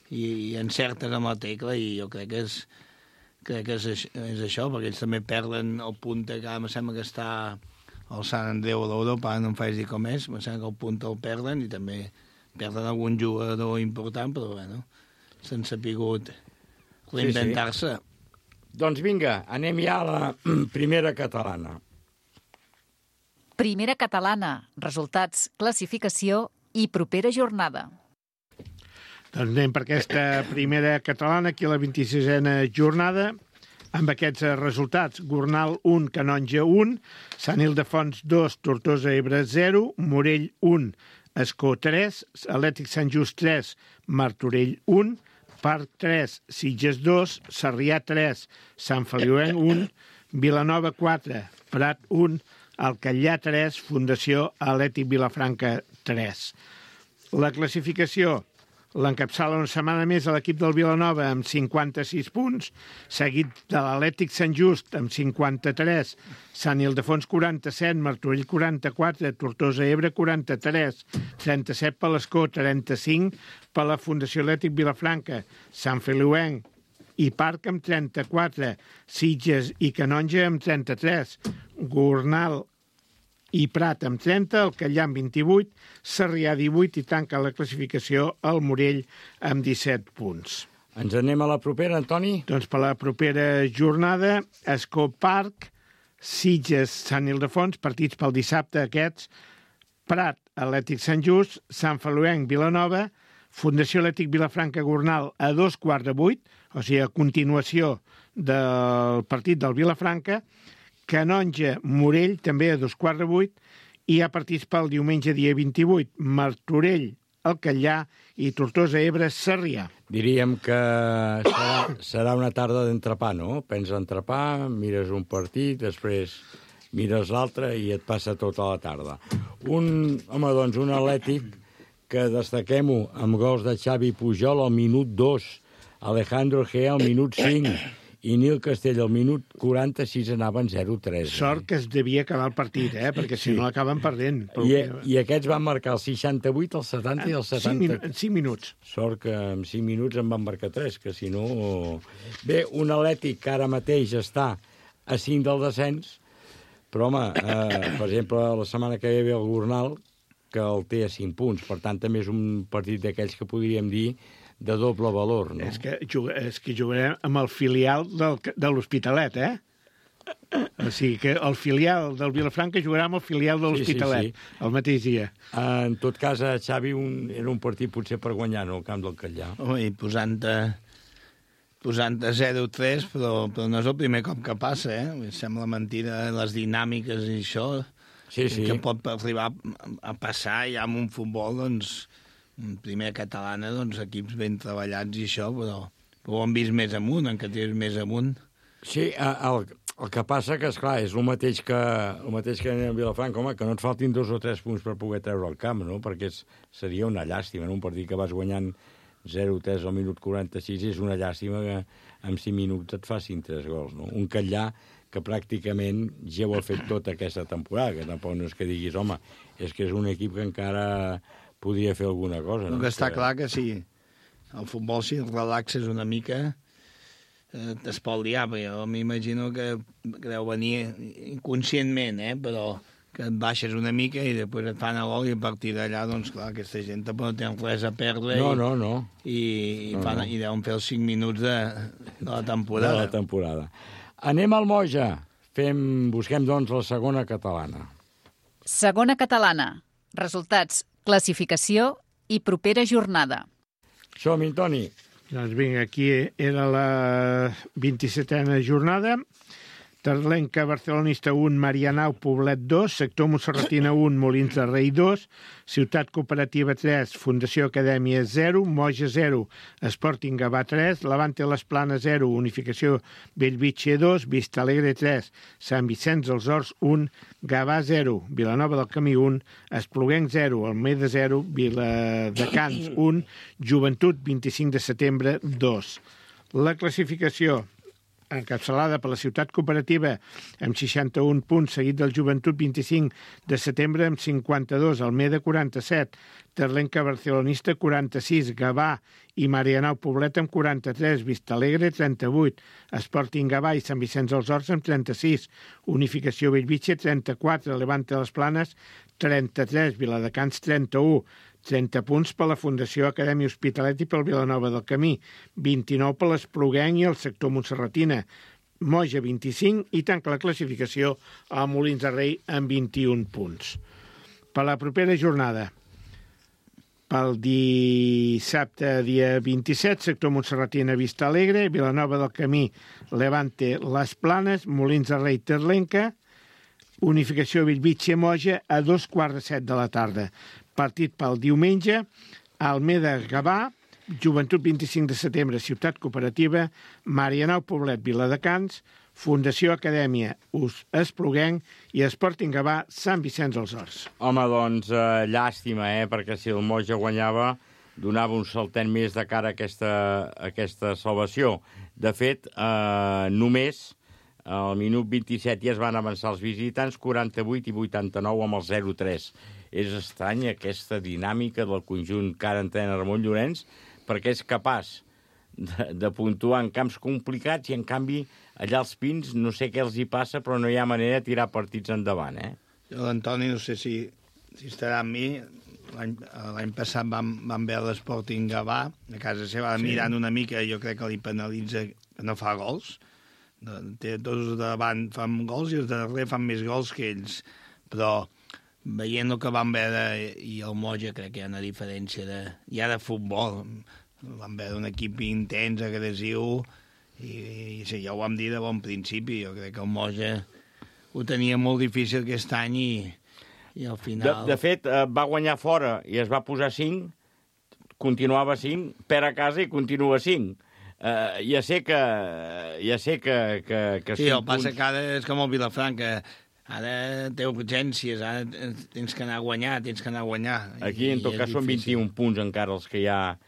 i encertes amb la tecla, i jo crec que és això, perquè ells també perden el punta, que em sembla que està al Sant Andreu a l'Europa, no em faig dir com és, em sembla que el punta el perden, i també perden algun jugador important, però bueno, s'han sapigut reinventar-se. Doncs vinga, anem ja a la primera catalana. Primera catalana, resultats, classificació i propera jornada. Doncs anem per aquesta primera catalana, aquí a la 26a jornada, amb aquests resultats. Gornal 1, Canonja 1, Sant Ildefons 2, Tortosa Ebre 0, Morell 1, Escó 3, Atlètic Sant Just 3, Martorell 1, Parc 3, Sitges 2, Sarrià 3, Sant Feliuenc 1, Vilanova 4, Prat 1, Alcallà 3, Fundació Atlètic Vilafranca 3. La classificació l'encapçala una setmana més a l'equip del Vilanova amb 56 punts, seguit de l'Atlètic Sant Just amb 53, Sant Ildefons 47, Martorell 44, Tortosa Ebre 43, 37 per l'Escó, 35 per la Fundació Atlètic Vilafranca, Sant Feliuenc i Parc amb 34, Sitges i Canonja amb 33, Gornal i Prat amb 30, el Callà amb 28, Sarrià 18 i tanca la classificació el Morell amb 17 punts. Ens anem a la propera, Antoni? Doncs per la propera jornada, Escó Parc, Sitges, Sant Ildefons, partits pel dissabte aquests, Prat, Atlètic Sant Just, Sant Feliuenc, Vilanova, Fundació Atlètic Vilafranca Gornal a 2:15, o sigui, a continuació del partit del Vilafranca, Canonja, Morell, també a 2:15, i hi ha partits pel diumenge dia 28, Martorell, el Callà i Tortosa Ebre, Sarrià. Diríem que serà una tarda d'entrepà, no? Prens entrepà, mires un partit, després mires l'altre i et passa tota la tarda. Un Atlètic que destaquem-ho amb gols de Xavi Pujol al minut 2, Alejandro Gea al minut 5 i Nil Castell al minut 46 anaven 0-3. Sort que es devia acabar el partit, perquè si no l'acaben perdent. I aquests van marcar el 68, el 70 i el 70. En 5 minuts. Sort que en 5 minuts en van marcar 3, que si no... Bé, un Atlètic que ara mateix està a 5 del descens, però, home, per exemple, la setmana que ve el Gornal, que el té a 5 punts. Per tant, també és un partit d'aquells que podríem dir de doble valor, no? És que jugarem amb el filial de l'Hospitalet, O sigui que el filial del Vilafranca jugarà amb el filial de l'Hospitalet, el mateix dia. En tot cas, a Xavi era un partit potser per guanyar, no?, el camp del Callà. I posant a 0-3, però no és el primer cop que passa, Sembla mentida les dinàmiques i això, que pot arribar a passar ja amb un futbol, doncs, primer catalana, doncs, equips ben treballats i això, però ho hem vist més amunt, en categories més amunt. Sí, el que passa que, esclar, és el mateix que en Vilafranca, home, que no et faltin 2 o 3 punts per poder treure el camp, no?, perquè seria una llàstima, no?, un partit que vas guanyant 0-3 al minut 46 és una llàstima que en 5 minuts et facin 3 gols, no? Un Callà que pràcticament ja ho ha fet tota aquesta temporada, que tampoc no és que diguis, home, és que és un equip que encara podria fer alguna cosa. El que està clar que sí, el futbol, si el relaxes una mica, es pot liar, perquè jo m'imagino que deu venir inconscientment, però que et baixes una mica i després et fan a gol i a partir d'allà, doncs clar, aquesta gent tampoc no tenen res a perdre. No. I deuen fer els 5 minuts de la temporada. De la temporada. Anem al Moja. Busquem, doncs, la segona catalana. Segona catalana. Resultats, classificació i propera jornada. Som-hi, Toni. Doncs vinga, aquí era la 27a jornada. Terlenca Barcelonista 1, Marianao Poblet 2, Sector Montserratina 1, Molins de Rei 2, Ciutat Cooperativa 3, Fundació Acadèmia 0, Moja 0, Sporting Gavà 3, Levante Les Planes 0, Unificació Bellvitge 2, Vista Alegre 3, Sant Vicenç dels Horts 1, Gavà 0, Vilanova del Camí 1, Espluguenc 0, Almeda 0, Viladecans 1, Joventut 25 de setembre 2. La classificació encapçalada per la Ciutat Cooperativa amb 61 punts, seguit del Joventut 25 de setembre amb 52, Almeda 47, Terlenca Barcelonista 46, Gavà i Marianao Poblet amb 43, Vistalegre 38, Sporting Gavà i Sant Vicenç dels Horts amb 36, Unificació Bellvitge 34, Levante Les Planes 33, Viladecans 31, 30 punts per la Fundació Acadèmia Hospitalet i pel Vilanova del Camí, 29 per l'Espluguenc i el sector Montserratina, Moja 25 i tanca la classificació a Molins de Rei amb 21 punts. Per la propera jornada, pel dissabte dia 27, sector Montserratina Vista Alegre, Vilanova del Camí, Levante Les Planes, Molins de Rei Terlenca, Unificació Bellvitge Moja a 2:15 de la tarda. Partit pel diumenge, Almeda Gavà, Joventut 25 de setembre, Ciutat Cooperativa, Marianao Poblet, Viladecans, Fundació Acadèmia Espluguenc i Sporting Gavà, Sant Vicenç dels Horts. Home, doncs, llàstima, perquè si el Moja guanyava, donava un saltet més de cara a aquesta salvació. De fet, només al minut 27 ja es van avançar els visitants, 48 i 89 amb el 0-3. És estrany aquesta dinàmica del conjunt que ara entrena Ramon Llorenç, perquè és capaç de puntuar en camps complicats i, en canvi, allà als Pins no sé què els hi passa, però no hi ha manera de tirar partits endavant, L'Antoni, no sé si estarà amb mi. L'any passat vam veure l'Sporting Gavà, a casa seva, mirant una mica, jo crec que li penalitza que no fa gols. Tots de davant fan gols i els de darrere fan més gols que ells. Però veient el que vam veure i el Moja, crec que hi ha una diferència de futbol. Vam veure un equip intens, agressiu, i sí, ja ho vam dir de bon principi. Jo crec que el Moja ho tenia molt difícil aquest any i al final... De fet, va guanyar fora i es va posar 5, continuava 5, perd a casa i continua 5. Ja sé que sí, el passa que ara és com el Vilafranca. Ara té urgències, ara tens que anar a guanyar, Aquí, en tot cas, són 21 punts encara els que hi ha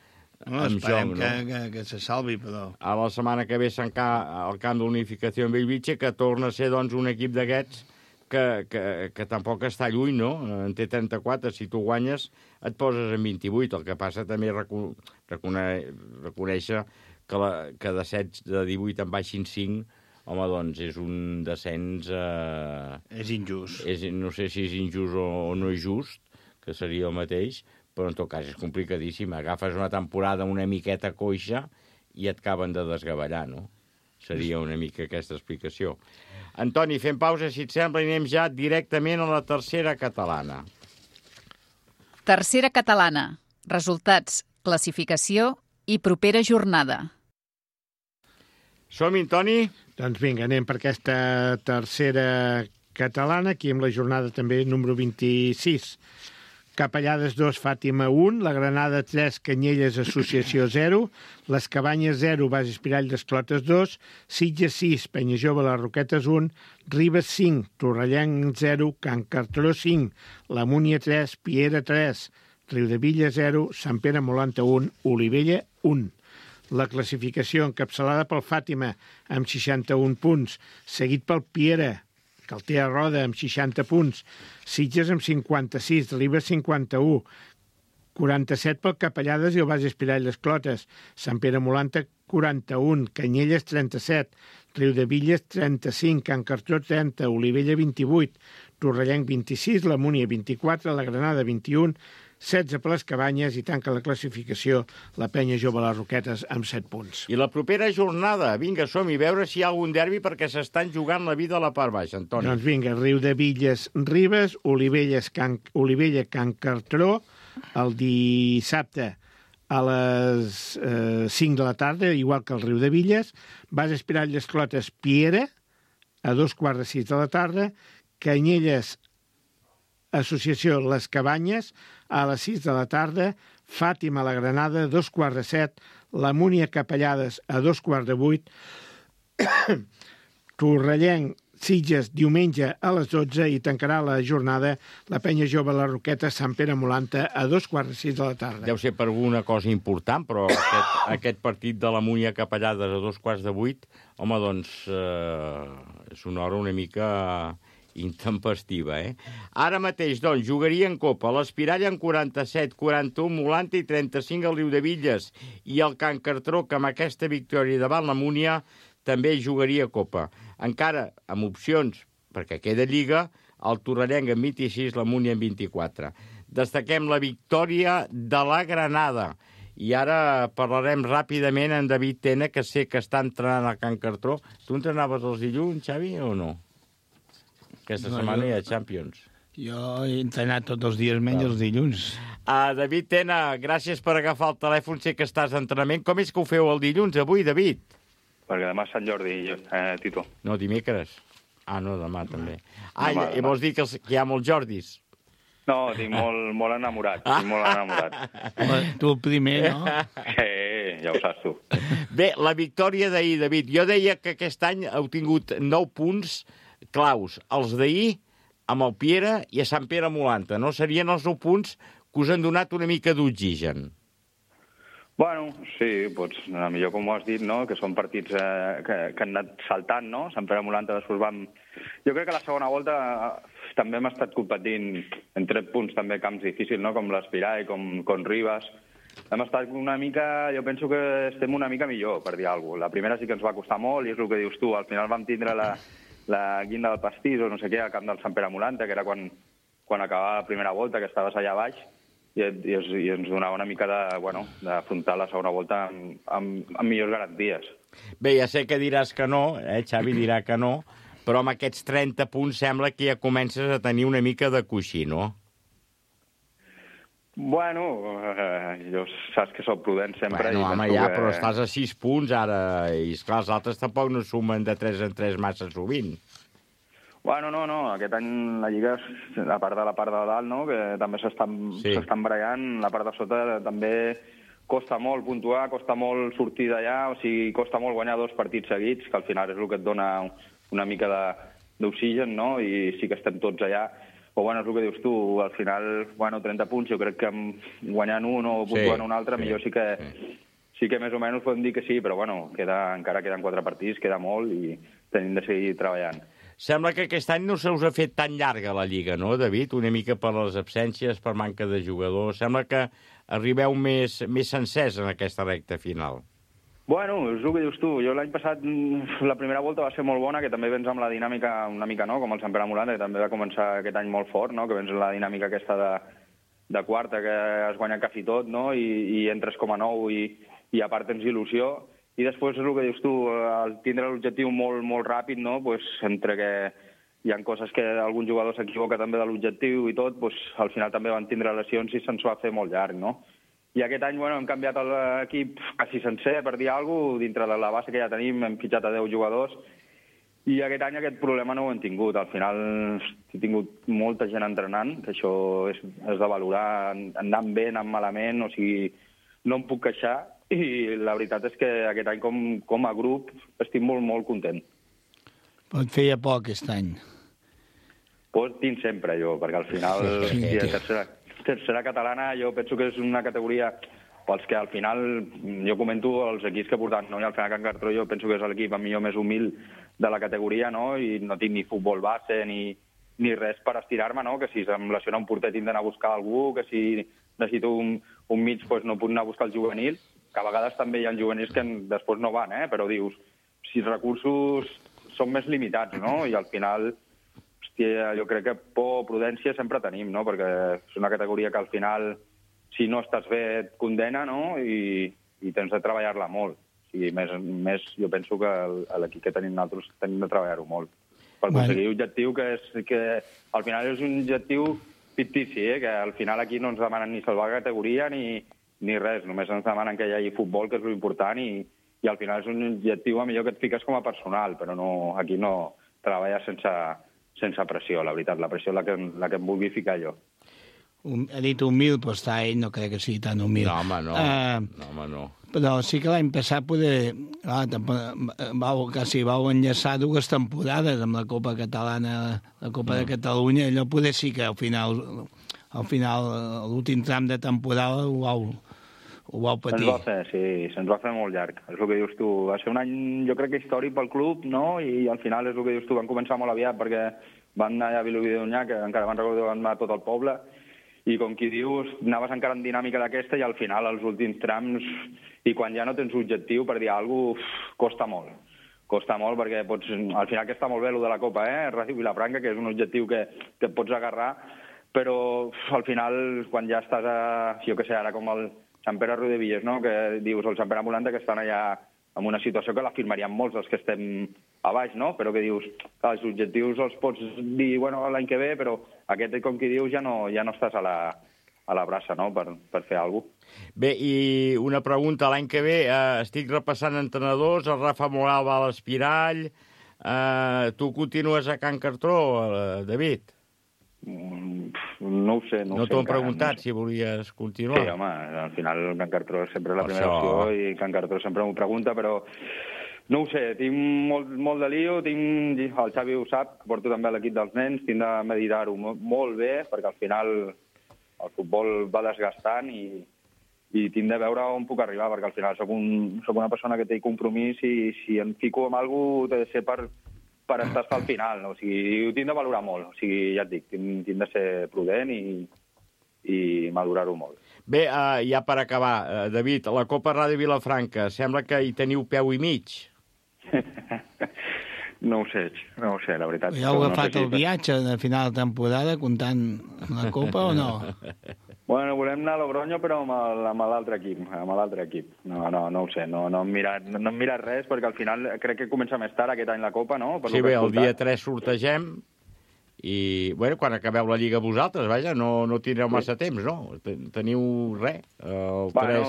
en joc. Esperem que se salvi, però... A la setmana que ve al camp d'Unificació en Bellvitge, que torna a ser, doncs, un equip d'aquests que tampoc està lluny, no? En té 34, si tu guanyes et poses en 28. El que passa també reconèixer que de 7 de 18 en baixin 5, home, doncs és un descens... És injust. No sé si és injust o no és just, que seria el mateix, però en tot cas és complicadíssim. Agafes una temporada una miqueta coixa i et acaben de desgavellar, no? Seria una mica aquesta explicació. Antoni, fem pausa, si et sembla, i anem ja directament a la tercera catalana. Tercera catalana. Resultats, classificació i propera jornada. Som-hi, Toni? Doncs vinga, anem per aquesta tercera catalana, aquí amb la jornada també número 26. Capellades 2, Fàtima 1, la Granada 3, Canyelles Associació 0, les Cabanyes 0, Bases Pirall d'Esclotes 2, Sitges 6, Penyajove Les Roquetes 1, Ribes 5, Torrellenc 0, Can Cartró 5, la Múnia 3, Piera 3, Riudevilla 0, Sant Pere Molanta 1, Olivella 1. La classificació encapçalada pel Fàtima amb 61 punts, seguit pel Piera, que el té a roda amb 60 punts, Sitges amb 56, Ribes 51, 47 pel Capellades i el Baix Espirall les Clotes, Sant Pere Molanta 41, Canyelles 37, Riudevilles 35, Can Cartró 30, Olivella 28, Torrellenc 26, la Múnia 24, la Granada 21, 16 per les Cabanyes i tanca la classificació la Penya Jove les Roquetes amb 7 punts. I la propera jornada, vinga, som-hi, veure si hi ha algun derbi perquè s'estan jugant la vida a la part baixa, Antoni. Doncs vinga, Riudevilles, Ribes, Olivella, Can Cartró, el dissabte a les 5 de la tarda, igual que el Riudevilles, Baix Espirall les Clotes, Piera, a 2:15 de la tarda, Canyelles, Associació Les Cabanyes, a les 6 de la tarda, Fàtima la Granada, a 2:15, la Múnia Capellades, a 2:15, Torrellenc, Sitges, diumenge a les 12 i tancarà la jornada la Penya Jove la Roqueta, Sant Pere Molanta, a 2:15 de la tarda. Deu ser per alguna cosa important, però aquest partit de la Múnia Capellades a 2:15, home, doncs és una hora una mica intempestiva, eh? Ara mateix, doncs, jugaria en Copa l'Espirall en 47, 41 Molanta i 35 el Riudevilles, i el Can Cartró, que amb aquesta victòria davant la Múnia també jugaria Copa. Encara amb opcions, perquè queda Lliga, el Torrellenc amb 26, la Múnia amb 24. Destaquem la victòria de la Granada. I ara parlarem ràpidament amb David Tena, que sé que està entrenant a Can Cartró. Tu entrenaves els dilluns, Xavi, o no? Aquesta setmana hi ha Champions. Jo he entrenat tots els dies, menys els dilluns. David Tena, gràcies per agafar el telèfon, sé que estàs d'entrenament. Com és que ho feu el dilluns, avui, David? Perquè demà és Sant Jordi, Tito. No, dimecres. No, demà també. I vols dir que hi ha molts Jordis? No, estic molt enamorat. Tu el primer, no? Sí, ja ho saps tu. Bé, la victòria d'ahir, David. Jo deia que aquest any heu tingut 9 punts claus. Els d'ahir amb el Piera i a Sant Pere Molanta. No serien els 9 punts que us han donat una mica d'oxigen? Bueno, sí, millor com ho has dit, no? Que són partits que han anat saltant, no? Sant Pere Molanta després vam... Jo crec que la segona volta també hem estat competint en 3 punts també camps difícils, no? Com l'Espirall, com Ribes. Hem estat una mica... Jo penso que estem una mica millor, per dir alguna cosa. La primera sí que ens va costar molt i és el que dius tu. Al final vam tindre la guinda del pastís o no sé què al camp del Sant Pere Molanta, que era quan acabava la primera volta, que estaves allà baix, i ens donava una mica d'afrontar la segona volta amb millors garanties. Bé, ja sé que diràs que no, Xavi dirà que no, però amb aquests 30 punts sembla que ja comences a tenir una mica de coixí, no? Bueno, jo saps que soc prudent sempre. Bueno, home, ja, però estàs a 6 punts ara, i esclar, els altres tampoc no sumen de 3 en 3 massa sovint. Bueno, no, aquest any la Lliga, a part de la part de dalt, no?, que també s'estan barallant, la part de sota també costa molt puntuar, costa molt sortir d'allà, o sigui, costa molt guanyar 2 partits seguits, que al final és el que et dona una mica d'oxigen, no?, i sí que estem tots allà. Però, bueno, és el que dius tu, al final, 30 punts, jo crec que guanyant un o puntuant un altre, millor sí que més o menys podem dir que sí, però, bueno, encara queden 4 partits, queda molt i tenim de seguir treballant. Sembla que aquest any no se us ha fet tan llarga la Lliga, no, David? Una mica per les absències, per manca de jugadors. Sembla que arribeu més sencers en aquesta recta final. Bueno, és el que dius tu. Jo l'any passat, la primera volta va ser molt bona, que també vens amb la dinàmica una mica, no?, com el Sant Pere Molanta, que també va començar aquest any molt fort, no?, que vens amb la dinàmica aquesta de quarta, que has guanyat quasi tot, no?, i entres com a nou i a part tens il·lusió. I després és el que dius tu, al tindre l'objectiu molt, molt ràpid, no?, pues, entre que hi ha coses que algun jugador s'equivoca també de l'objectiu i tot, pues, al final també van tindre lesions i se'ns va fer molt llarg, no? I aquest any, hem canviat l'equip quasi sencer, per dir alguna cosa, dintre de la base que ja tenim, hem fitxat a 10 jugadors, i aquest any aquest problema no ho hem tingut. Al final he tingut molta gent entrenant, que això és de valorar, anant bé, anant malament, o sigui, no em puc queixar, i la veritat és que aquest any com a grup estic molt, molt content. Però et feia por aquest any. Pues tinc sempre jo, perquè al final tercera catalana jo penso que és una categoria pels que al final jo comento els equips que he portat, no? I al final Can Cartró jo penso que és l'equip millor més humil de la categoria, no? I no tinc ni futbol base ni ni res per estirar-me, no? Que si em lesiona un porter tinc d'anar a buscar algú, que si necessito un mig doncs no puc anar a buscar el juvenil, que a vegades també hi ha juvenils que després no van, però dius, si els recursos són més limitats, no? I al final, hòstia, jo crec que por, prudència sempre tenim, no? Perquè és una categoria que al final, si no estàs bé, et condena, no? I tens de treballar-la molt. O sigui, més jo penso que l'equip que tenim nosaltres tenim de treballar-ho molt. Per aconseguir objectiu que al final és un objectiu fictici, que al final aquí no ens demanen ni salvar categoria ni res, només ens demanen que hi hagi futbol, que és l'important, i al final és un objectiu millor que et fiques com a personal, però aquí no treballes sense pressió, la veritat. La pressió és la que em vulgui ficar jo. Ha dit humil, però està ell, no crec que sigui tan humil. No, home, no. Però sí que l'any passat vau enllaçar 2 temporades amb la Copa Catalana, la Copa de Catalunya, allò poder sí que al final, l'últim tram de temporada ho vau patir. Se'ns va fer molt llarg. És el que dius tu. Va ser un any, jo crec que històric pel club, no? I al final és el que dius tu. Van començar molt aviat perquè van anar a Vilobí d'Onyar, que encara van recordar van anar a tot el poble, i com qui dius, anaves encara en dinàmica d'aquesta i al final, als últims trams, i quan ja no tens objectiu per dir alguna cosa, costa molt. Costa molt perquè al final que està molt bé el de la Copa, Ràdio Vilafranca, que és un objectiu que et pots agarrar, però al final, quan ja estàs jo què sé, ara com el Sant Pere Riudebitlles, no? Que dius, el Sant Pere Amulanta, que estan allà en una situació que la firmaríem molts els que estem a baix, no? Però que dius, clar, els objectius els pots dir, bueno, l'any que ve, però aquest, com qui dius, ja no estàs a la braça, no?, per fer alguna cosa. Bé, i una pregunta, l'any que ve estic repassant entrenadors, el Rafa Moral va a l'Espirall, tu continues a Can Cartró, David? No ho sé. No t'ho han preguntat, si volies continuar? Sí, home, al final Can Cartró és sempre la primera opció i Can Cartró sempre m'ho pregunta, però no ho sé, tinc molt de lío, el Xavi ho sap, porto també l'equip dels nens, tinc de meditar-ho molt bé, perquè al final el futbol va desgastant i tinc de veure on puc arribar, perquè al final soc una persona que té compromís i si em fico amb alguna cosa, ha de ser per estar al final, no? O sigui, ho tinc de valorar molt, o sigui, ja et dic, tinc de ser prudent i madurar-ho molt. Bé, ja per acabar, David, la Copa Ràdio Vilafranca, sembla que hi teniu peu i mig. No ho sé, la veritat. Ja heu agafat el viatge de final de temporada comptant amb la Copa o no? Bueno, volem anar a Logroño, però amb l'altre equip. No ho sé, no hem mirat res, perquè al final crec que comença més tard aquest any la Copa, no? Sí, bé, el dia 3 sortegem i, bueno, quan acabeu la Lliga vosaltres, vaja, no tindreu massa temps, no? Teniu res. Bueno,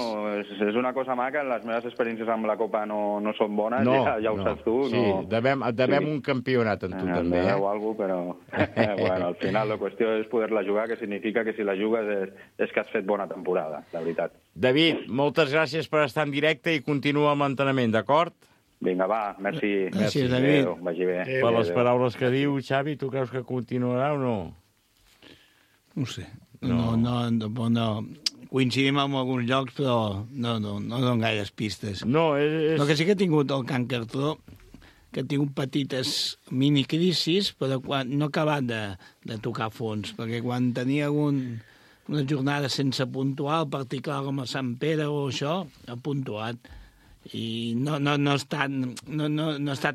és una cosa maca, les meves experiències amb la Copa no són bones, ja ho saps tu. Sí, devem un campionat en tu, també. O alguna cosa, però bueno, al final la qüestió és poder-la jugar, que significa que si la jugues és que has fet bona temporada, la veritat. David, moltes gràcies per estar en directe i continua amb l'entrenament, d'acord? Vinga, va, merci. Merci, David. Adéu, vagi bé. Per les paraules que diu, Xavi, tu creus que continuarà o no? No sé. No. Coincidim en alguns llocs, però no donen gaires pistes. No, El que sí que ha tingut el Can Cartró, que ha tingut petites minicrisis, però no ha acabat de tocar fons, perquè quan tenia una jornada sense puntuar, el partit clar com a Sant Pere o això, ha puntuat. I no ha estat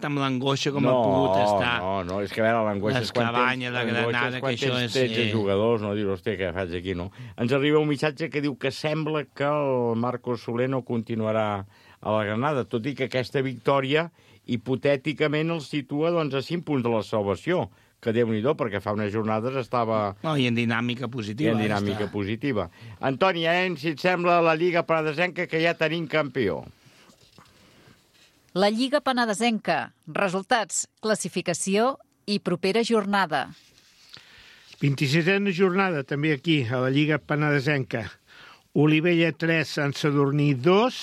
amb l'angoixa com ha pogut estar. No, és que a veure, l'angoixa és quan tens 13 jugadors, no? Dius, hòstia, què faig aquí, no? Ens arriba un missatge que diu que sembla que el Marcos Soler no continuarà a la Granada, tot i que aquesta victòria hipotèticament el situa doncs, a 5 punts de la salvació, que Déu-n'hi-do, perquè fa unes jornades estava... No, i en dinàmica positiva. Positiva. Antoni, si et sembla la Lliga Penedesenca que ja tenim campió. La Lliga Penedesenca. Resultats, classificació i propera jornada. 26a jornada, també aquí, a la Lliga Penedesenca. Olivella 3, Sant Sadurní 2,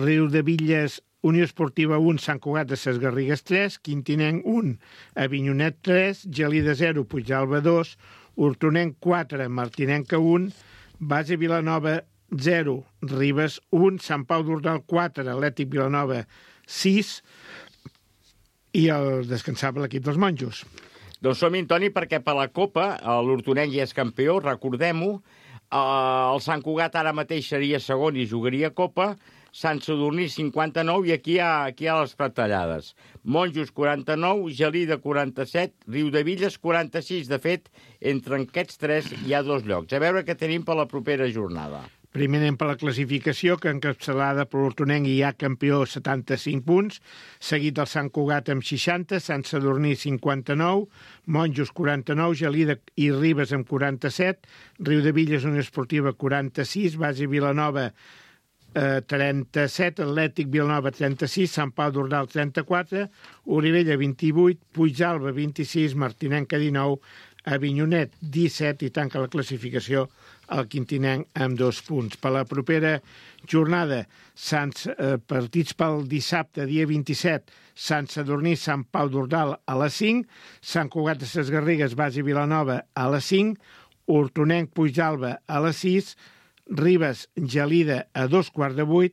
Riudebitlles, Unió Esportiva 1, Sant Cugat de Ses Garrigues 3, Quintinenc 1, Avinyonet 3, Gelida 0, Puigdàlber 2, Hortonenc 4, Martinenca 1, Base Vilanova 0, Ribes 1, Sant Pau d'Ordal 4, Atlètic Vilanova 6 i el descansava l'equip dels monjos. Doncs som-hi, Toni, perquè per la Copa l'Hortonenc ja és campió, recordem-ho. El Sant Cugat ara mateix seria segon i jugaria Copa. Sant Sadurní 59 i aquí hi ha les retallades. Monjos 49, Gelida 47, Riudevilles 46. De fet, entre aquests tres hi ha 2 llocs. A veure què tenim per la propera jornada. Primer anem per la classificació, que encapçalada per l'Hortonenc hi ha campió 75 punts, seguit del Sant Cugat amb 60, Sant Sadurní 59, Monjos 49, Gelida i Ribes amb 47, Riudevilles Unió Esportiva 46, Base Vilanova 37, Atlètic Vilanova 36, Sant Pau d'Ordal 34, Olivella 28, Puigdàlber 26, Martinenca 19, Avinyonet 17 i tanca la classificació el Quintinenc amb 2 punts. Per la propera jornada, partits pel dissabte, dia 27, Sant Sadurní, Sant Pau d'Ordal a les 5, Sant Cugat de ses Garrigues, Base Vilanova a les 5, Hortonenc, Puigdàlber a les 6, Ribes, Gelida a 7:15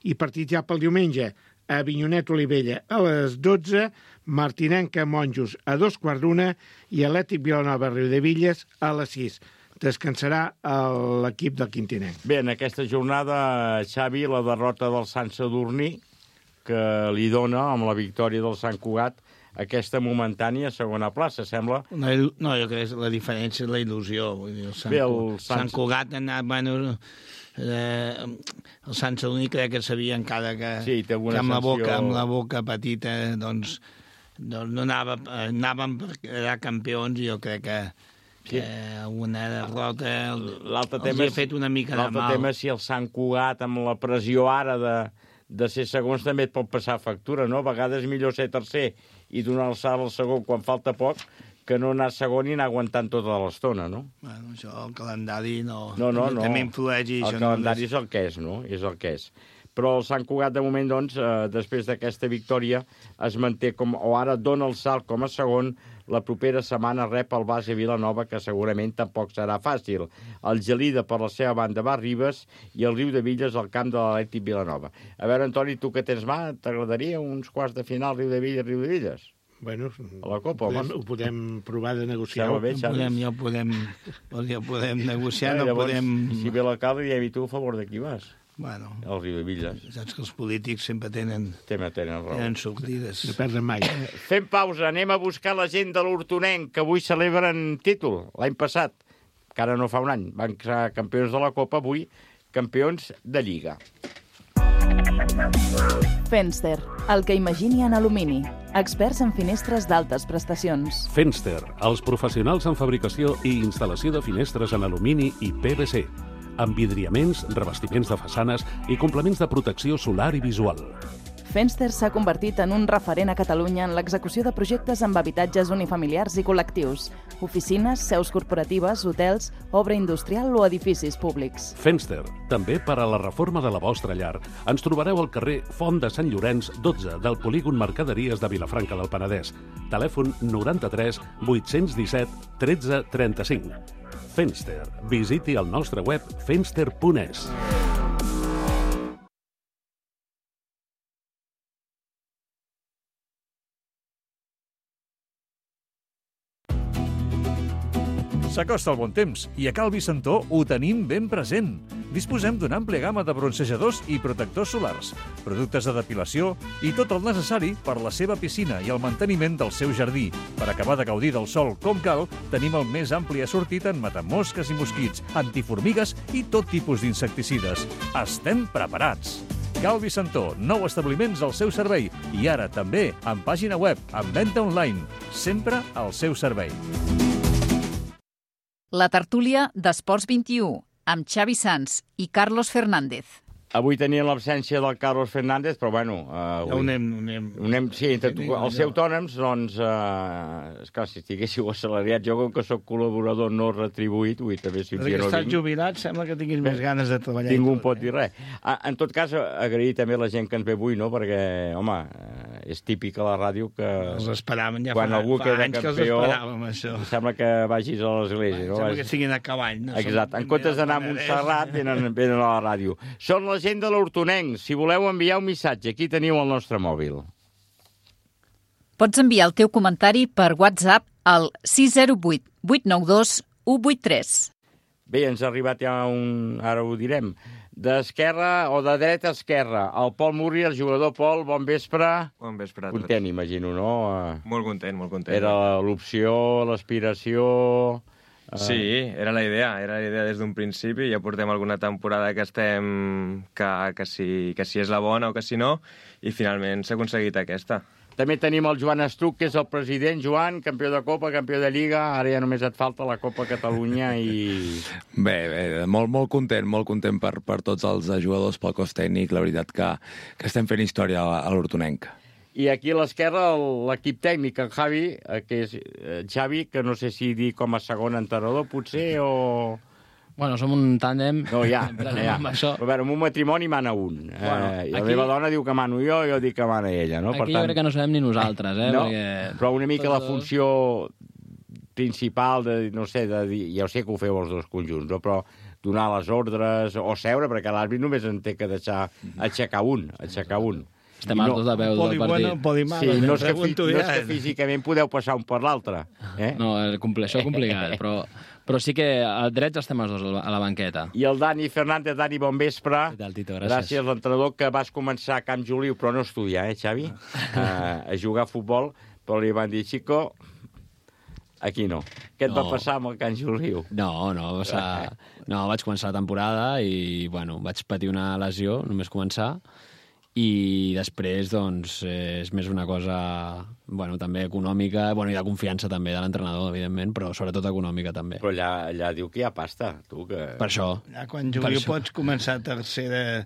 i partits ja pel diumenge, Avinyonet, Olivella a les 12, Martinenca, Monjos a 2:15 i Atlètic Vilanova, Riudevilles a les 6. Descansarà l'equip del Quintinenc. Bé, en aquesta jornada, Xavi, la derrota del Sant Sadurní, que li dona, amb la victòria del Sant Cugat, aquesta momentània segona plaça, sembla? No, jo crec que la diferència és la il·lusió. Vull dir, el Sant Cugat ha anat... Bueno, el Sant Sadurní crec que sabia encara que, sí, que amb la boca petita doncs no anàvem per quedar campions i jo crec que una derrota els ha fet una mica de mal. L'altre tema és si el Sant Cugat, amb la pressió ara de ser segons, també et pot passar factura, no? A vegades millor ser tercer i donar el salt al segon quan falta poc que no anar segon i anar aguantant tota l'estona, no? Bueno, això, el calendari no. També influeix i el calendari és el que és, no? És el que és. Però el Sant Cugat, de moment, doncs, després d'aquesta victòria, es manté o ara dona el salt com a segon. La propera setmana rep el Base Vilanova, que segurament tampoc serà fàcil. El Gelida, per la seva banda, va a Ribes i el Riudevilles al camp de l'Atlètic Vilanova. A veure, Antoni, tu que tens mà, t'agradaria uns quarts de final Riudevilles? Bueno, a la Copa, ho podem provar de negociar. Ja ho podem negociar. Si ve l'alcalde, diem, i tu a favor de qui vas? Bueno, el Riudevilles. Saps que els polítics sempre tenen sortides. No perden mai. Fem pausa, anem a buscar la gent de l'Hortonenc, que avui celebren títol, l'any passat, que ara no fa un any. Van ser campions de la Copa, avui campions de Lliga. Fenster, el que imagini en alumini. Experts en finestres d'altes prestacions. Fenster, els professionals en fabricació i instal·lació de finestres en alumini i PVC. Amb vidriaments, revestiments de façanes i complements de protecció solar i visual. Fenster s'ha convertit en un referent a Catalunya en l'execució de projectes amb habitatges unifamiliars i col·lectius, oficines, seus corporatives, hotels, obra industrial o edificis públics. Fenster, també per a la reforma de la vostra llar. Ens trobareu al carrer Font de Sant Llorenç, 12, del polígon Mercaderies de Vilafranca del Penedès. Telèfon 93 817 13 35. Fenster. Visiti el nostre web fenster.es. S'acosta el bon temps i a Cal Vicentó ho tenim ben present. Disposem d'una àmplia gamma de bronzejadors i protectors solars, productes de depilació i tot el necessari per la seva piscina i el manteniment del seu jardí. Per acabar de gaudir del sol com cal, tenim el més ampli assortit en matamosques i mosquits, antiformigues i tot tipus d'insecticides. Estem preparats! Cal Vicentó, 9 establiments al seu servei i ara també amb pàgina web, amb venda online, sempre al seu servei. La tertúlia d'Esports 21, amb Xavi Sans i Carlos Fernández. Avui tenien l'absència del Carlos Fernández, però bueno... Ho anem... Sí, els autònoms, doncs, esclar, si estiguéssiu assalariats, jo com que soc col·laborador no retribuït, també si un dia no vinc... Estàs jubilat, sembla que tinguis més ganes de treballar. Ningú pot dir res. En tot cas, agrair també la gent que ens ve avui, no?, perquè, home, és típic a la ràdio que... Els esperàvem ja quan algú queda anys campió, que els esperàvem, això. Sembla que vagis a l'església, no? Sembla que estiguin a cavall, no? Exacte. En comptes d'anar a Montserrat, venen a la ràdio. Són la gent de l'Hortonenc. Si voleu enviar un missatge, aquí teniu el nostre mòbil. Pots enviar el teu comentari per WhatsApp al 608 892 183. Bé, ens ha arribat ja ara ho direm, d'esquerra o de dreta a esquerra. El Pol Murri, el jugador. Pol, bon vespre. Bon vespre a tots. Content, imagino, no? Molt content, molt content. Era l'opció, l'aspiració... Sí, era la idea des d'un principi. Ja portem alguna temporada que estem... que si és la bona o que si no, i finalment s'ha aconseguit aquesta. També tenim el Joan Estruc, que és el president. Joan, campió de Copa, campió de Lliga, ara ja només et falta la Copa Catalunya i... Bé, molt content per tots els jugadors, pel cos tècnic. La veritat que estem fent història a l'Hortonenca. I aquí a l'esquerra l'equip tècnic, en Javi, que és Xavi, que no sé si dir com a segon entrenador, potser, o... Bueno, som un tàndem. No, ja. Però en un matrimoni mana un. I la meva dona diu que mano jo dic que mana ella, no? Aquí jo crec que no sabem ni nosaltres, No, perquè... però una mica la funció principal de, no sé, ja ho sé que ho feu els dos conjunts, no? Però donar les ordres o seure, perquè l'àrbit només en té que deixar aixecar un. Estem hartos de veure el partit. Sí, no és que físicament podeu passar un per l'altre. No, això és complicat, però sí que a drets estem els dos a la banqueta. I el Dani Fernández. Dani, bon vespre. Què tal, Tito? Gràcies, l'entrenador, que vas començar a Camp Juliu, però no estudiar, Xavi? A jugar a futbol, però li van dir, Chico, aquí no. Què et va passar amb el Camp Juliu? No, vaig començar la temporada i, bueno, vaig patir una lesió, només començar, i després, doncs, és més una cosa, bueno, també econòmica, bueno, i de confiança també de l'entrenador, evidentment, però sobretot econòmica també. Però allà diu que hi ha pasta, tu, que... Per això. Ja, quan Juliu pots començar tercera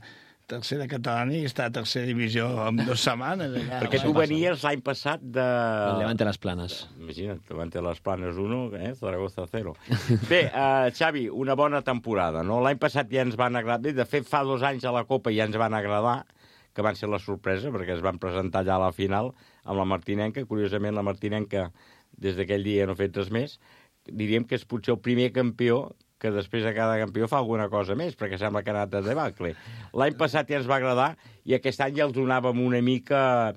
catalana i estar a tercera divisió en 2 setmanes. Perquè tu venies l'any passat de... El Levante Las Planes. Imagina't, Levante Las Planes 1, Zaragoza 0. Bé, Xavi, una bona temporada, no? L'any passat ja ens van agradar. De fet, fa 2 anys a la Copa ja ens van agradar, que van ser la sorpresa, perquè es van presentar allà a la final amb la Martinenca. Curiosament, la Martinenca, des d'aquell dia no ha fet res més. Diríem que és potser el primer campió que després de cada campió fa alguna cosa més, perquè sembla que ha anat de debacle. L'any passat ja ens va agradar i aquest any ja els donàvem una mica...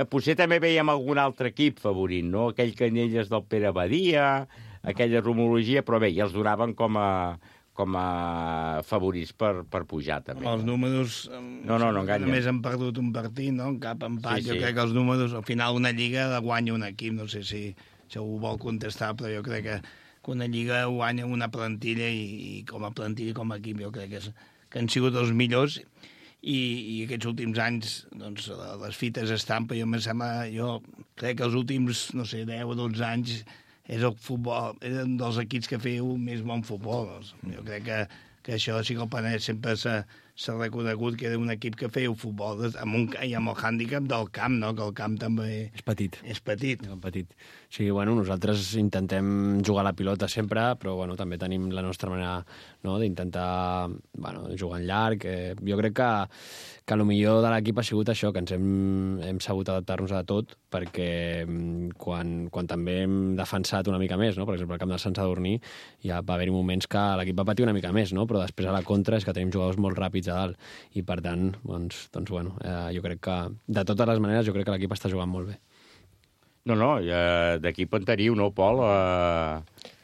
Potser també veiem algun altre equip favorint, no? Aquell Canyelles del Pere Badia, aquella rumorologia, però bé, ja els donaven com a favorits per pujar, també. Els números... No enganyen. Només han perdut un partit, no? Cap empat. Sí. Jo crec que els números, al final, una lliga la guanya un equip. No sé si ho vol contestar, però jo crec que una lliga guanya una plantilla i com a plantilla i com a equip jo crec que han sigut els millors i aquests últims anys doncs, les fites estan, però jo crec que els últims, no sé, 10 o 12 anys és el futbol, és un dels equips que feu més bon futbol. Doncs. Jo crec que això sí que el Penedès sempre s'ha reconegut que era un equip que feu futbol amb el hàndicap del camp, no? Que el camp també... És petit. És petit. Sí, bueno, nosaltres intentem jugar a la pilota sempre, però bueno, també tenim la nostra manera, no?, d'intentar jugar en llarg. Jo crec que el millor de l'equip ha sigut això, que ens hem sabut adaptar-nos a tot, perquè quan també hem defensat una mica més, no? Per exemple, al camp del Sant Sadurní ja va haver-hi moments que l'equip va patir una mica més, no? Però després a la contra és que tenim jugadors molt ràpids a dalt i per tant, doncs bueno, jo crec que de totes les maneres jo crec que l'equip està jugant molt bé. No, d'equip en teniu, no, Pol?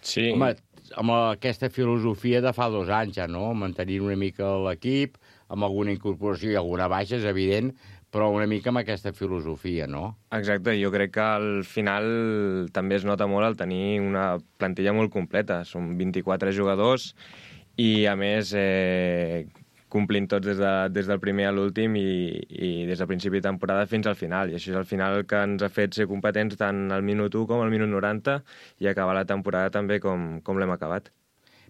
Sí. Home, amb aquesta filosofia de fa 2 anys ja, no? Mantenir una mica l'equip, amb alguna incorporació i alguna baixa, és evident, però una mica amb aquesta filosofia, no? Exacte, jo crec que al final també es nota molt el tenir una plantilla molt completa. Són 24 jugadors i, a més, complint tots des del primer a l'últim i des del principi de temporada fins al final. I això és al final el que ens ha fet ser competents tant al minut 1 com al minut 90 i acabar la temporada també com l'hem acabat.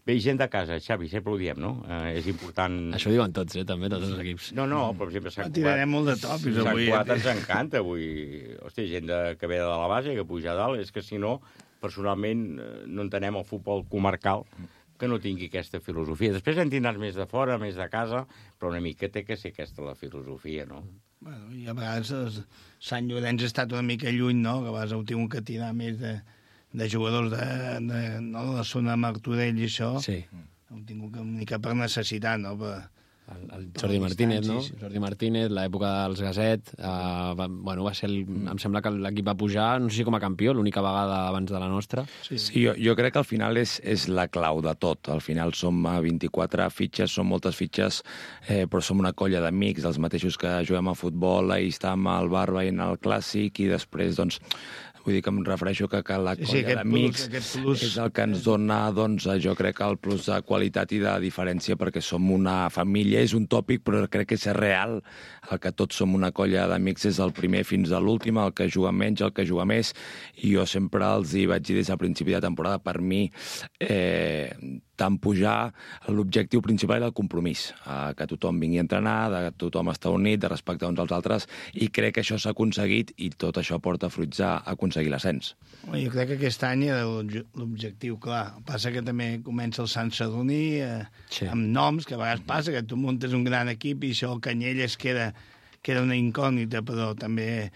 Bé, gent de casa, Xavi, sempre ho diem, no? És important... Això diuen tots, també, tots els equips. No, per exemple, Sant Cugat... Tirarem molt de tòpics avui. Sant Cugat ens encanta avui. Hòstia, gent que ve de la base, que puja a dalt, és que si no, personalment, no entenem el futbol comarcal que no tingui aquesta filosofia. Després en tindràs més de fora, més de casa, però una mica té que ser aquesta la filosofia, no? Bueno, i a vegades Sant Llorenç ha estat una mica lluny, no? Que a vegades heu tingut que tirar més de jugadors de la zona de Martorell i això. Sí. Heu tingut una mica per necessitat, no? el Jordi Martínez, no? Jordi Martínez, l'època dels Gaset, va ser em sembla que l'equip va pujar, no sé si com a campió, l'única vegada abans de la nostra. Sí, jo crec que al final és la clau de tot. Al final som 24 fitxes, són moltes fitxes, però som una colla d'amics, els mateixos que juguem a futbol, ahir estàvem al bar veient el Clàssic i després, doncs, vull dir que em refereixo que la colla d'amics és el que ens dona, doncs, jo crec, el plus de qualitat i de diferència, perquè som una família, és un tòpic, però crec que és real, el que tots som una colla d'amics des del primer fins a l'últim, el que juga menys, el que juga més, i jo sempre els hi vaig dir des del principi de temporada, per mi, tant pujar, l'objectiu principal era el compromís, que tothom vingui a entrenar, de tothom estar unit, de respectar uns als altres, i crec que això s'ha aconseguit i tot això porta fruits a aconseguir l'ascens. Jo crec que aquest any era l'objectiu clar. Passa que també comença el Sant Sadurní amb noms, que a vegades passa que tu muntes un gran equip i això el Canyelles queda una incògnita, però també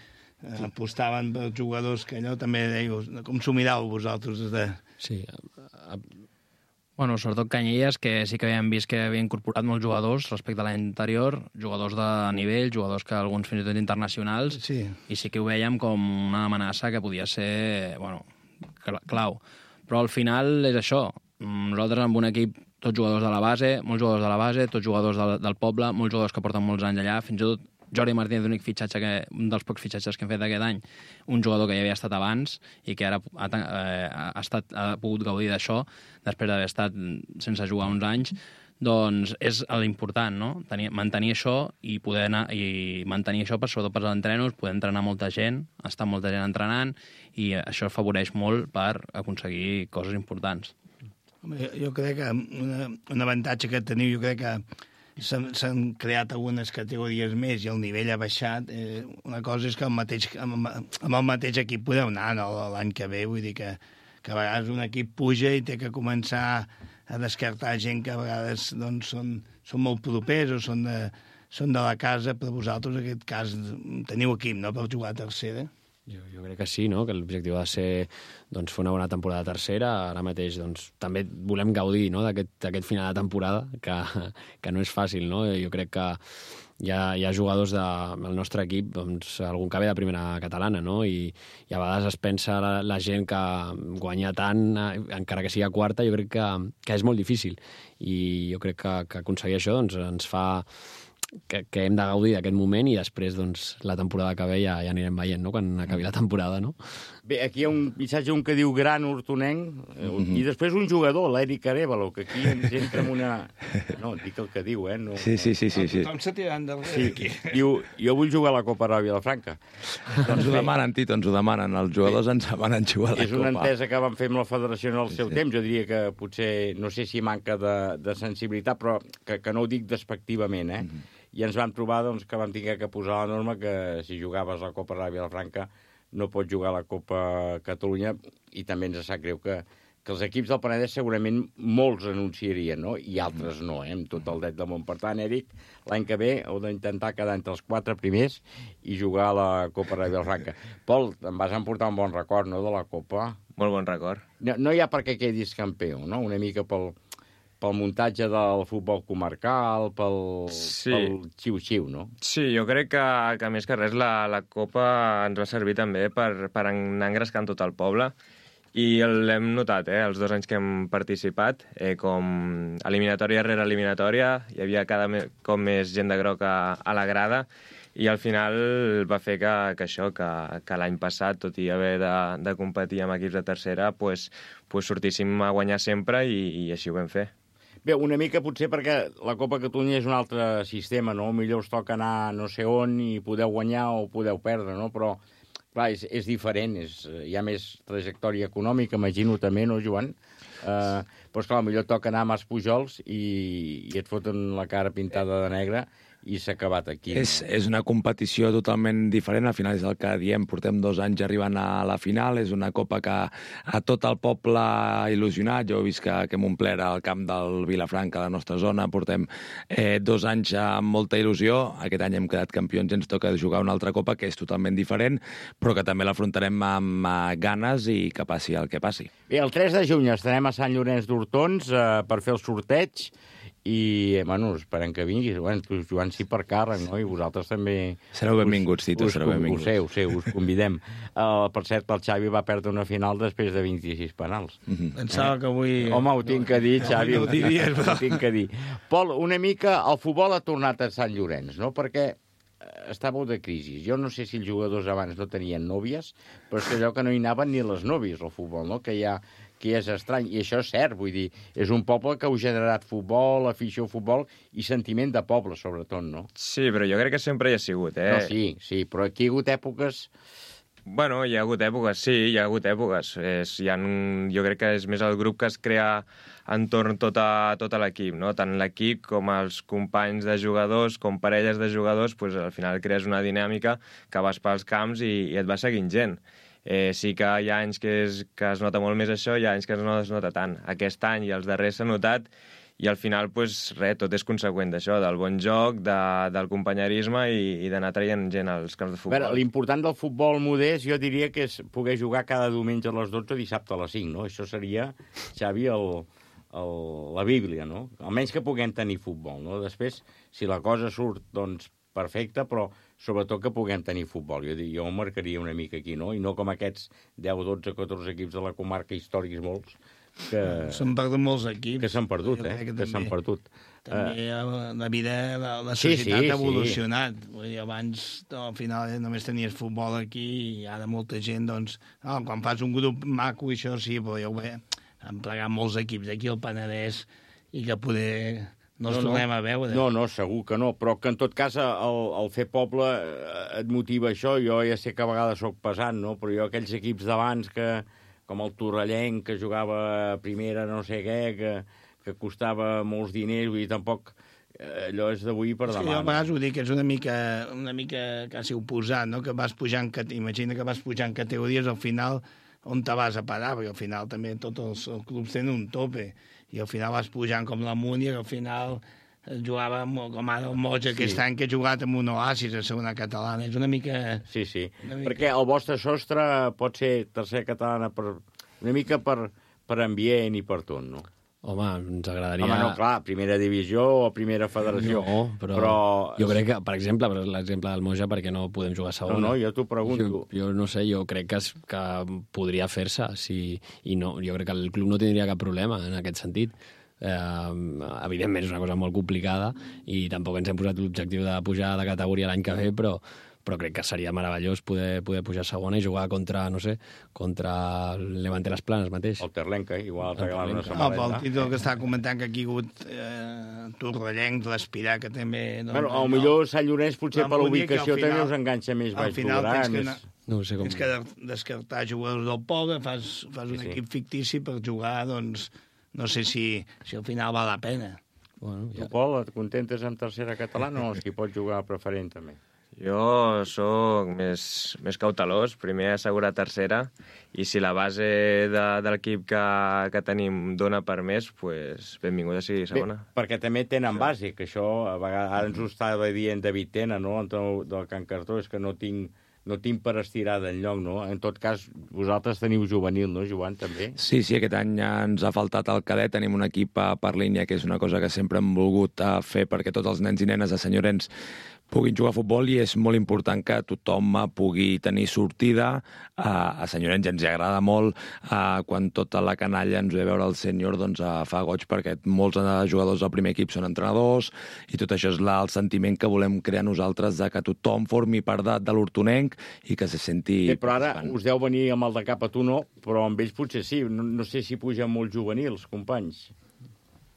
apostaven per jugadors que allò també deieu, com s'ho miràveu vosaltres? Sí, bueno, sobretot Canyelles, que sí que havíem vist que havia incorporat molts jugadors respecte a l'any anterior, jugadors de nivell, jugadors que alguns fins i tot internacionals, i sí que ho vèiem com una amenaça que podia ser, bueno, clau. Però al final és això. Nosaltres amb un equip, tots jugadors de la base, molts jugadors de la base, tots jugadors del poble, molts jugadors que porten molts anys allà, fins i tot Jordi Martínez, l'únic fitxatge, un dels pocs fitxatges que hem fet aquest any, un jugador que ja havia estat abans i que ara ha pogut gaudir d'això després d'haver estat sense jugar uns anys, doncs és l'important, no? Mantenir això i poder anar i mantenir això sobretot per als entrenos, poder entrenar molta gent, estar molta gent entrenant, i això afavoreix molt per aconseguir coses importants. Jo crec que un avantatge que teniu, jo crec que s'han creat algunes categories més i el nivell ha baixat. Una cosa és que amb el mateix equip podeu anar l'any que ve, vull dir que a vegades un equip puja i té que començar a descartar gent que a vegades doncs, són molt propers o són de la casa, però vosaltres en aquest cas teniu equip, no?, per jugar a tercera. Jo crec que sí, no?, que l'objectiu ha de ser doncs, fer una bona temporada tercera. Ara mateix doncs, també volem gaudir, no?, d'aquest final de temporada, que no és fàcil, no? Jo crec que hi ha jugadors del nostre equip, doncs, algun que ve de primera catalana, no? I a vegades es pensa la gent que guanya tant, encara que sigui a quarta, jo crec que és molt difícil. I jo crec que aconseguir això doncs, ens fa que hem de gaudir d'aquest moment i després doncs, la temporada que ve ja anirem veient, no?, quan acabi la temporada, no? Bé, aquí hi ha un missatge que diu gran hortonenc, i després un jugador, l'Eric Arevalo, que aquí ens entra amb una... No, dic el que diu, No... Sí. Tothom se tirant darrere aquí. Diu, jo vull jugar a la Copa Ràbia Vilafranca. Ens ho demanen, Tito, ens ho demanen. Els jugadors ens demanen jugar a la Copa. És una entesa que vam fer amb la federació en el seu temps. Jo diria que potser, no sé si manca de sensibilitat, però que no ho dic despectivament, I ens vam trobar doncs, que vam haver que posar la norma que si jugaves a la Copa Ràbia Vilafranca no pots jugar a la Copa Catalunya, i també ens sap greu que els equips del Penedès segurament molts anunciarien, no? I altres no, amb tot el dret del món. Per tant, Eric, l'any que ve heu d'intentar quedar entre els 4 primers i jugar a la Copa Ràbia Vilafranca. Pol, em vas emportar un bon record, no?, de la Copa. Molt bon record. No hi ha per què quedis campió, no? Una mica pel muntatge del futbol comarcal, pel xiu-xiu, no? Sí, jo crec que més que res la Copa ens va servir també per anar engrescant tot el poble, i l'hem notat, els 2 anys que hem participat, com eliminatòria rere eliminatòria, hi havia cada cop més gent de groc a la grada, i al final va fer que l'any passat, tot i haver de competir amb equips de tercera, pues sortíssim a guanyar sempre, i així ho vam fer. Bé, una mica potser perquè la Copa Catalunya és un altre sistema, no? Millor us toca anar no sé on i podeu guanyar o podeu perdre, no? Però, clar, és diferent, hi ha més trajectòria econòmica, imagino també, no, Joan? Però, esclar, millor toca anar a Mas Pujols i et foten la cara pintada de negre i s'ha acabat aquí. És una competició totalment diferent, al final és el que diem, portem 2 anys arribant a la final, és una copa que a tot el poble ha il·lusionat. Jo he vist que hem omplert el camp del Vilafranca, la nostra zona, portem 2 anys amb molta il·lusió, aquest any hem quedat campions i ens toca jugar una altra copa que és totalment diferent, però que també l'afrontarem amb ganes i que passi el que passi. Bé, el 3 de juny estarem a Sant Llorenç d'Hortons per fer el sorteig, i, bueno, esperem que vinguis. Bueno, tu, Joan, sí per càrrec, no? I vosaltres també... Sereu benvinguts, Tito, sereu benvinguts. Ho sé, us convidem. Per cert, el Xavi va perdre una final després de 26 penals. Pensava que avui... Home, ho tinc que dir, Xavi, ho tinc que dir. Pol, una mica, el futbol ha tornat a Sant Llorenç, no? Perquè està molt de crisi. Jo no sé si els jugadors abans no tenien nòvies, però és que allò que no hi anaven ni les nòvies, al futbol, no? Que és estrany, i això és cert, vull dir, és un poble que heu generat futbol, afició al futbol i sentiment de poble, sobretot, no? Sí, però jo crec que sempre hi ha sigut, eh? No, sí, però aquí hi ha hagut èpoques... Bueno, hi ha hagut èpoques, sí, hi ha hagut èpoques. Jo crec que és més el grup que es crea entorn tot l'equip, no? Tant l'equip com els companys de jugadors, com parelles de jugadors, pues, al final crees una dinàmica que vas pels camps i et va seguint gent. Sí que hi ha anys que es nota molt més això, hi ha anys que no es nota tant. Aquest any i els darrers s'ha notat i al final, pues, tot és conseqüent d'això, del bon joc, del companyerisme i d'anar traient gent als camps de futbol. L'important del futbol modest jo diria que és poder jugar cada diumenge a les 12 dissabte a les 5, no? Això seria, Xavi, la Bíblia, no? Almenys que puguem tenir futbol, no? Després, si la cosa surt, doncs, perfecte, però sobretot que puguem tenir futbol. Jo ho marcaria una mica aquí, no? I no com aquests 10, 12, 14 equips de la comarca, històrics molts, que... S'han perdut molts equips. Que s'han perdut, que s'han perdut. També la vida, la societat ha evolucionat. Sí. Abans, al final, només tenies futbol aquí i ara molta gent, doncs... quan fas un grup maco, això sí, però ja ho ve. Han plegat molts equips aquí al Penedès i que poder... No ens tornem a veure. No, segur que no, però que en tot cas el fer poble et motiva això. Jo ja sé que a vegades soc pesant, no? Però jo aquells equips d'abans, com el Torrellenc, que jugava a primera no sé què, que costava molts diners, vull dir, tampoc allò és d'avui per demà. Sí, jo a vegades ho dic, que és una mica quasi oposat, no? Que vas pujant, imagina que vas pujant categories, al final on te vas a parar, perquè al final també tots els clubs tenen un tope, i al final vas pujant com la Múnia, que al final jugava com ara el Moja aquest any, que ha jugat amb un Oasis a segona catalana. És una mica... Sí, perquè el vostre sostre pot ser tercera catalana una mica per ambient i per tot, no? Home, ens agradaria... Home, no, clar, primera divisió o primera federació. No, però... Jo crec que, per exemple, l'exemple del Moja, perquè no podem jugar a segona. No, jo t'ho pregunto. Jo no sé, jo crec que podria fer-se, i no, jo crec que el club no tindria cap problema en aquest sentit. Evidentment és una cosa molt complicada i tampoc ens hem posat l'objectiu de pujar de categoria l'any que ve, però crec que seria meravellós poder pujar a segona i jugar contra el Levante les Planes mateix. El Terlenca, igual, regalar una samarreta. El títol que estava comentant que aquí ha hagut Torrellenc, l'Espirà, que també... Bueno, millor Sant Llorenç, potser per l'ubicació també us enganxa més baix Llobregat. No sé com... Tens que descartar jugadors del poble, fas un equip fictici per jugar, doncs, no sé si al final val la pena. Bueno, tu, Pol, et contentes amb tercera catalana o qui pot jugar a preferent també? Jo sóc més cautelós, primer assegurar tercera, i si la base de l'equip que tenim dona per més, pues, benvinguda sigui segona. Bé, perquè també tenen base, que això a vegades, ara ens ho estava dient David Tena, no?, del Can Cartó, és que no tinc per estirar d'enlloc, no? En tot cas, vosaltres teniu juvenil, no, Joan, també? Sí, aquest any ens ha faltat el cadet, tenim un equip per línia, que és una cosa que sempre hem volgut fer perquè tots els nens i nenes de Sant Llorenç puguin jugar a futbol, i és molt important que tothom pugui tenir sortida. A Sant Llorenç ens agrada molt quan tota la canalla ens ve a veure el sènior, doncs fa goig, perquè molts jugadors del primer equip són entrenadors, i tot això és el sentiment que volem crear nosaltres, de que tothom formi part de l'hortonenc i que se senti... Bé, però ara us deu venir amb el de cap a tu, no? Però amb ells potser sí. No sé si pugen molts juvenils, companys.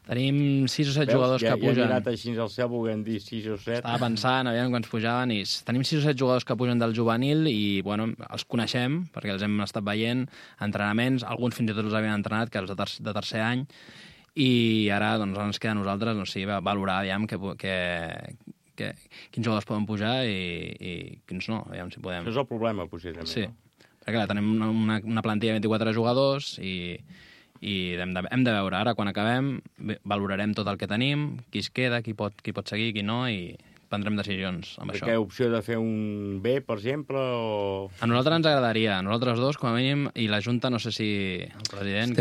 Tenim 6 o 7 jugadors que pugen. Ja he mirat així al cel, volguem dir 6 o 7. Estava pensant, aviam quants pujaven, i tenim 6 o 7 jugadors que pugen del juvenil i, bueno, els coneixem, perquè els hem estat veient, entrenaments, alguns fins i tot els havien entrenat, que els de tercer any, i ara doncs, ens queda a nosaltres, no sé, valorar, aviam, quins jugadors poden pujar i quins no, aviam si podem. Això és el problema, potser, també. Sí, perquè clar, tenim una plantilla de 24 jugadors i hem de veure. Ara, quan acabem, valorarem tot el que tenim, qui es queda, qui pot seguir, qui no, i prendrem decisions amb això. Què opció de fer un B, per exemple? O... A nosaltres ens agradaria, a nosaltres dos, com a mínim, i la Junta, no sé si el president...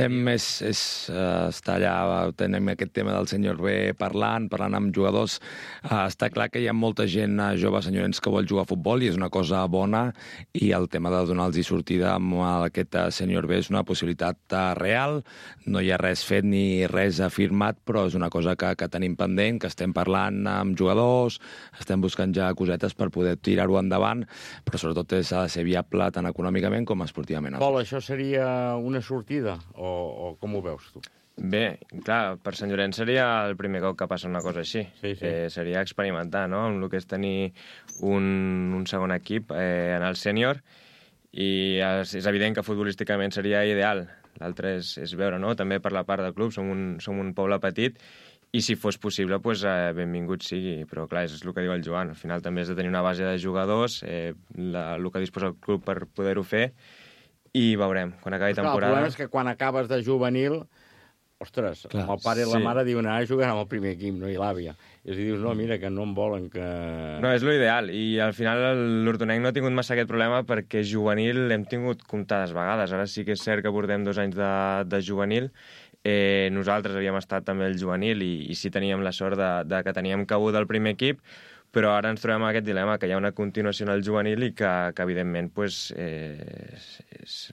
Està allà, tenim aquest tema del senyor B parlant amb jugadors. Està clar que hi ha molta gent jove, senyorens, que vol jugar a futbol i és una cosa bona, i el tema de donar-los sortida amb aquest senyor B és una possibilitat real. No hi ha res fet ni res afirmat, però és una cosa que tenim pendent, que estem parlant amb jugadors, estem buscant ja cosetes per poder tirar-ho endavant, però sobretot s'ha de ser viable tant econòmicament com esportivament. Pol, això seria una sortida o com ho veus tu? Bé, clar, per Sant Llorenç seria el primer cop que passa una cosa així. Sí. Seria experimentar, no?, amb el que és tenir un segon equip en el sènior, i és evident que futbolísticament seria ideal. L'altre és veure, no?, també per la part del club, som un poble petit, i si fos possible, doncs, benvingut sigui. Però, clar, és el que diu el Joan. Al final també has de tenir una base de jugadors, el que disposa el club per poder-ho fer, i veurem, quan acabi temporada... El problema és que quan acabes de juvenil, ostres, clar, el pare i la mare diuen ara jugarà amb el primer equip, no? I l'àvia. I dius, no, mira, que no em volen que... No, és l'ideal, i al final l'Hortonenc no ha tingut massa aquest problema perquè juvenil l'hem tingut comptades vegades. Ara sí que és cert que portem 2 anys de juvenil. Nosaltres havíem estat també el juvenil i sí teníem la sort de que teníem cabuda el primer equip, però ara ens trobem aquest dilema, que hi ha una continuació en el juvenil i que evidentment, és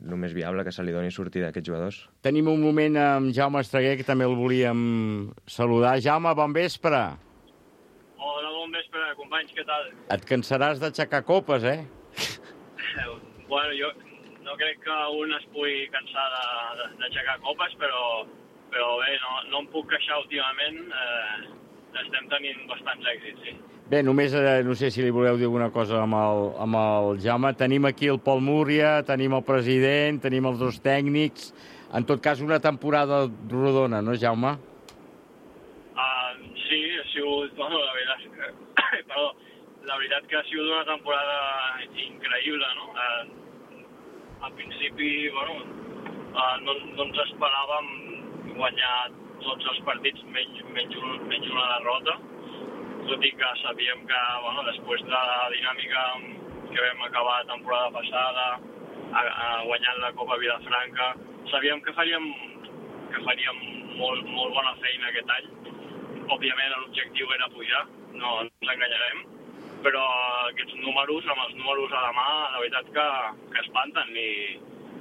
el més viable que se li doni sortida a aquests jugadors. Tenim un moment amb Jaume Estreguer, que també el volíem saludar. Jaume, bon vespre. Hola, bon vespre, companys, què tal? Et cansaràs d'aixecar copes, eh? Bueno, jo no crec que un es pugui cansar d'aixecar copes, però bé, no em puc queixar últimament. Estem tenint bastants èxits, sí. Bé, només no sé si li voleu dir alguna cosa amb el Jaume. Tenim aquí el Pol Múria, tenim el president, tenim els 2 tècnics. En tot cas, una temporada rodona, no, Jaume? Sí, ha sigut... Bueno, la veritat que ha sigut una temporada increïble, no? Al principi, bueno, no ens esperàvem guanyar tots els partits menys una derrota, tot i que sabíem que, bueno, després de la dinàmica que vam acabar la temporada passada, guanyant la Copa Vilafranca, sabíem que faríem molt bona feina aquest any. Òbviament l'objectiu era pujar, no ens enganyarem, però aquests números, amb els números a la mà, la veritat que espanten i,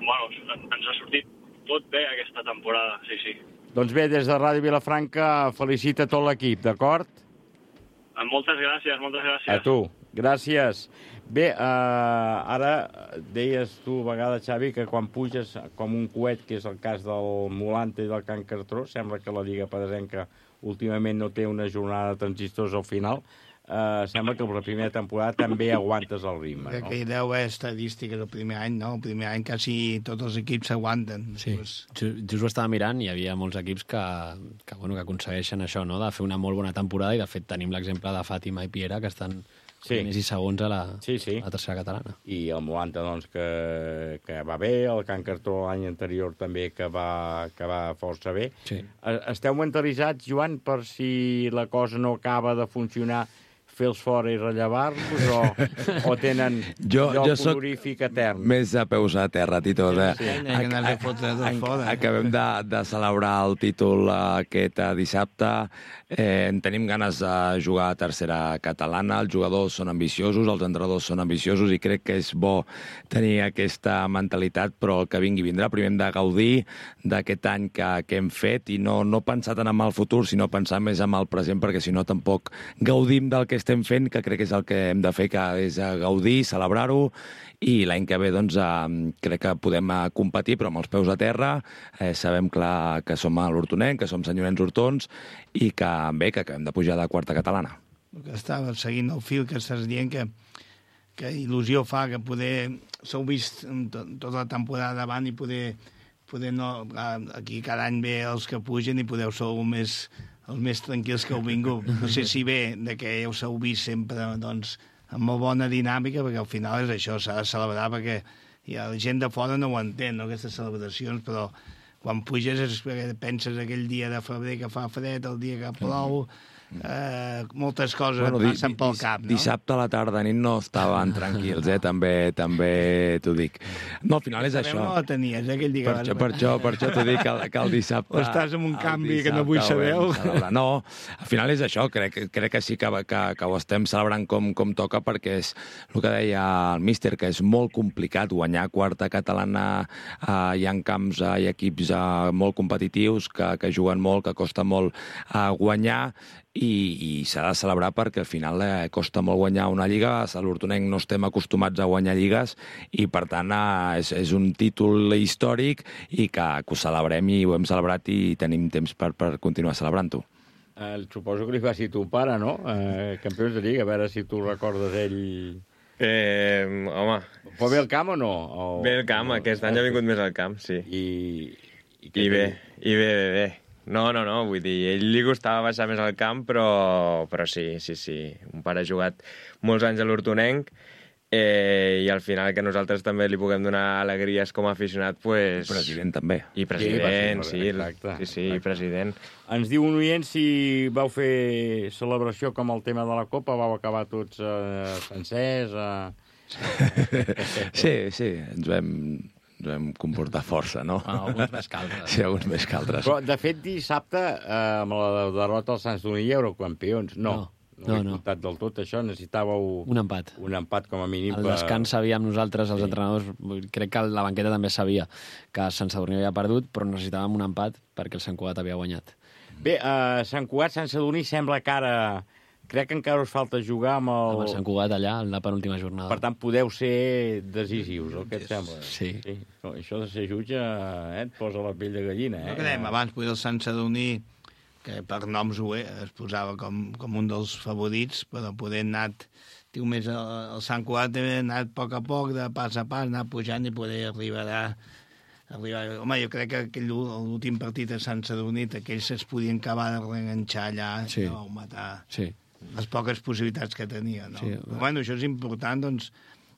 bueno, ens ha sortit tot bé aquesta temporada, sí. Doncs bé, des de Ràdio Vilafranca felicita tot l'equip, d'acord? Moltes gràcies. A tu, gràcies. Bé, ara deies tu a vegades, Xavi, que quan puges com un coet, que és el cas del Molante i del Can Cartró, sembla que la Lliga Pedrasenca últimament no té una jornada de transistors al final, sembla que la primera temporada també aguantes el ritme, no? Que hi deu haver estadística del primer any, no? El primer any quasi tots els equips s'aguanten. Sí, just ho estava mirant i hi havia molts equips que aconsegueixen això, no?, de fer una molt bona temporada, i de fet tenim l'exemple de Fàtima i Piera, que estan primers i segons a la tercera catalana. I el Molanta, doncs, que va bé, el Can Cartró l'any anterior també que va força bé. Sí. Esteu mentalitzats, Joan, per si la cosa no acaba de funcionar, fer-los fora i rellevar-los, o tenen lloc honorífic etern? Més de peus a terra, Tito. Acabem de celebrar el títol aquest dissabte. Tenim ganes de jugar a tercera catalana. Els jugadors són ambiciosos, els entrenadors són ambiciosos, i crec que és bo tenir aquesta mentalitat, però el que vingui vindrà. Primer hem de gaudir d'aquest any que hem fet i no pensar tant en el futur, sinó pensar més en el present, perquè si no tampoc gaudim del que estem fent, que crec que és el que hem de fer, que és gaudir, celebrar-ho, i l'any que ve doncs, crec que podem competir, però amb els peus a terra. Sabem clar que som a l'Hortonenc, que som senyorens hortons, i que bé, que acabem de pujar de quarta catalana. Estava seguint el fil que estàs dient, que il·lusió fa que poder... S'heu vist tota la temporada davant i poder no... Aquí cada any ve els que pugen i podeu ser els més tranquils que heu vingut. No sé si bé de que heu vist sempre, doncs, amb molt bona dinàmica, perquè al final és això, s'ha de celebrar, perquè la gent de fora no ho entén, no, aquestes celebracions, però quan puges és perquè penses aquell dia de febrer que fa fred, el dia que plou, moltes coses passen pel cap, no? Dissabte a la tarda nit no estaven tranquils, també t'ho dic. No, al final és això. No la tenies, aquell dia. Per això t'ho dic que el dissabte... O estàs en un canvi que no vull saber. No, al final és això, crec que sí que ho estem celebrant com toca, perquè és el que deia el míster, que és molt complicat guanyar quarta catalana. Hi ha camps, hi ha equips molt competitius que juguen molt, que costa molt guanyar, i s'ha de celebrar perquè al final costa molt guanyar una lliga. A l'Hortonenc no estem acostumats a guanyar lligues i, per tant, és un títol històric i que ho celebrem, i ho hem celebrat i tenim temps per continuar celebrant-ho. Suposo que li va ser ton pare, no? Campions de Lliga, a veure si tu recordes ell... Home... Però ve al camp o no? Ve al camp, aquest any ha vingut més al camp, sí. I bé. No, vull dir, ell li gustava baixar més al camp, però sí. Un pare ha jugat molts anys a l'Hortonenc, i al final que nosaltres també li puguem donar alegries com a aficionat, pues... I president també. I president, sí, president. Ens diu un oient si vau fer celebració com el tema de la Copa, vau acabar tots sencers... Sí, ens vam comportar força, no? Alguns més que altres. Sí, alguns més que altres. Però, de fet, dissabte, amb la derrota als Sants d'Unió, eurocampions. No he comptat del tot això, necessitàveu... Un empat. Un empat, com a mínim. El descans sabíem nosaltres, els entrenadors, crec que la banqueta també sabia que Sant Sadurní havia perdut, però necessitàvem un empat perquè el Sant Cugat havia guanyat. Bé, Sant Cugat, Sant Sadurní sembla que ara... Crec que encara us falta jugar amb el Sant Cugat allà, en la penúltima jornada. Per tant, podeu ser decisius, el que et sembla. Sí. No, això de ser jutge et posa la pell de gallina. No quedem, abans poder el Sant Sadurní, que per noms es posava com un dels favorits, però poder anat, diu més, el Sant Cugat ha anat a poc, de pas a pas, anar pujant i poder arribar. Home, jo crec que l'últim partit a Sant Sadurní, aquells es podien acabar de reenganxar allà, no, matar... Sí. Les poques possibilitats que tenia, no? Sí. Però, bueno, això és important, doncs,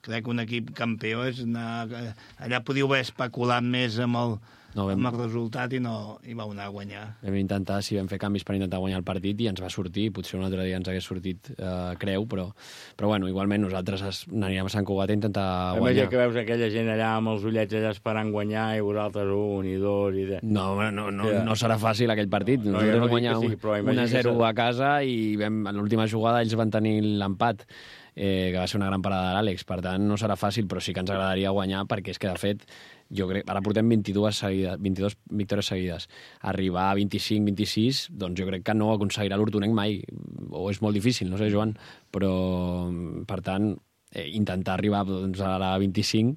crec que un equip campió és anar... Allà podíeu haver especulat més amb el resultat i vau anar a guanyar. Vam intentar, vam fer canvis per intentar guanyar el partit i ens va sortir, potser un altre dia ens hagués sortit creu, però bueno, igualment nosaltres anirem a Sant Cugat a intentar guanyar. Imagina que veus aquella gent allà amb els ullets allà esperant guanyar i vosaltres 1 i 2 i... No serà fàcil aquell partit. Nosaltres vam guanyar 1-0 a casa i en l'última jugada ells van tenir l'empat, que va ser una gran parada de l'Àlex. Per tant, no serà fàcil, però sí que ens agradaria guanyar, perquè és que, de fet, jo crec, ara portem 22 victòries seguides. Arribar a 25-26, doncs jo crec que no aconseguirà l'Hortonenc mai, o és molt difícil, no sé, Joan, però, per tant, intentar arribar a la 25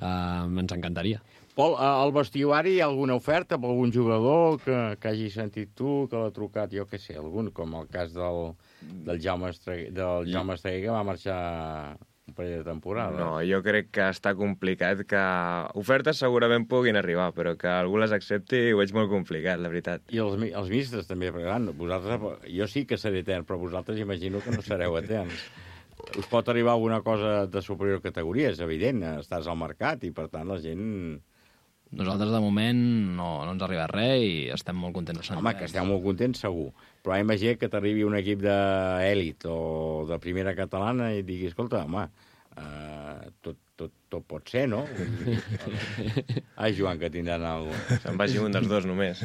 ens encantaria. Pol, al vestuari hi ha alguna oferta per algun jugador que hagi sentit tu, que l'ha trucat, jo què sé, algun, com el cas del Jaume Estreguer, que va marxar un parell de temporada. No, jo crec que està complicat, que ofertes segurament puguin arribar, però que algú les accepti ho veig molt complicat, la veritat. I els ministres també, perquè vosaltres, jo sí que seré etern, però vosaltres imagino que no sereu eterns. Us pot arribar alguna cosa de superior categoria, és evident, estàs al mercat i per tant la gent... Nosaltres, de moment, no ens ha arribat res i estem molt contents. Home, que esteu molt contents, segur. Però imagina que t'arribi un equip d'èlit o de primera catalana i et digui, escolta, home, tot pot ser, no? Ai, Joan, que tindran alguna cosa. Se'n vagi un dels dos, només.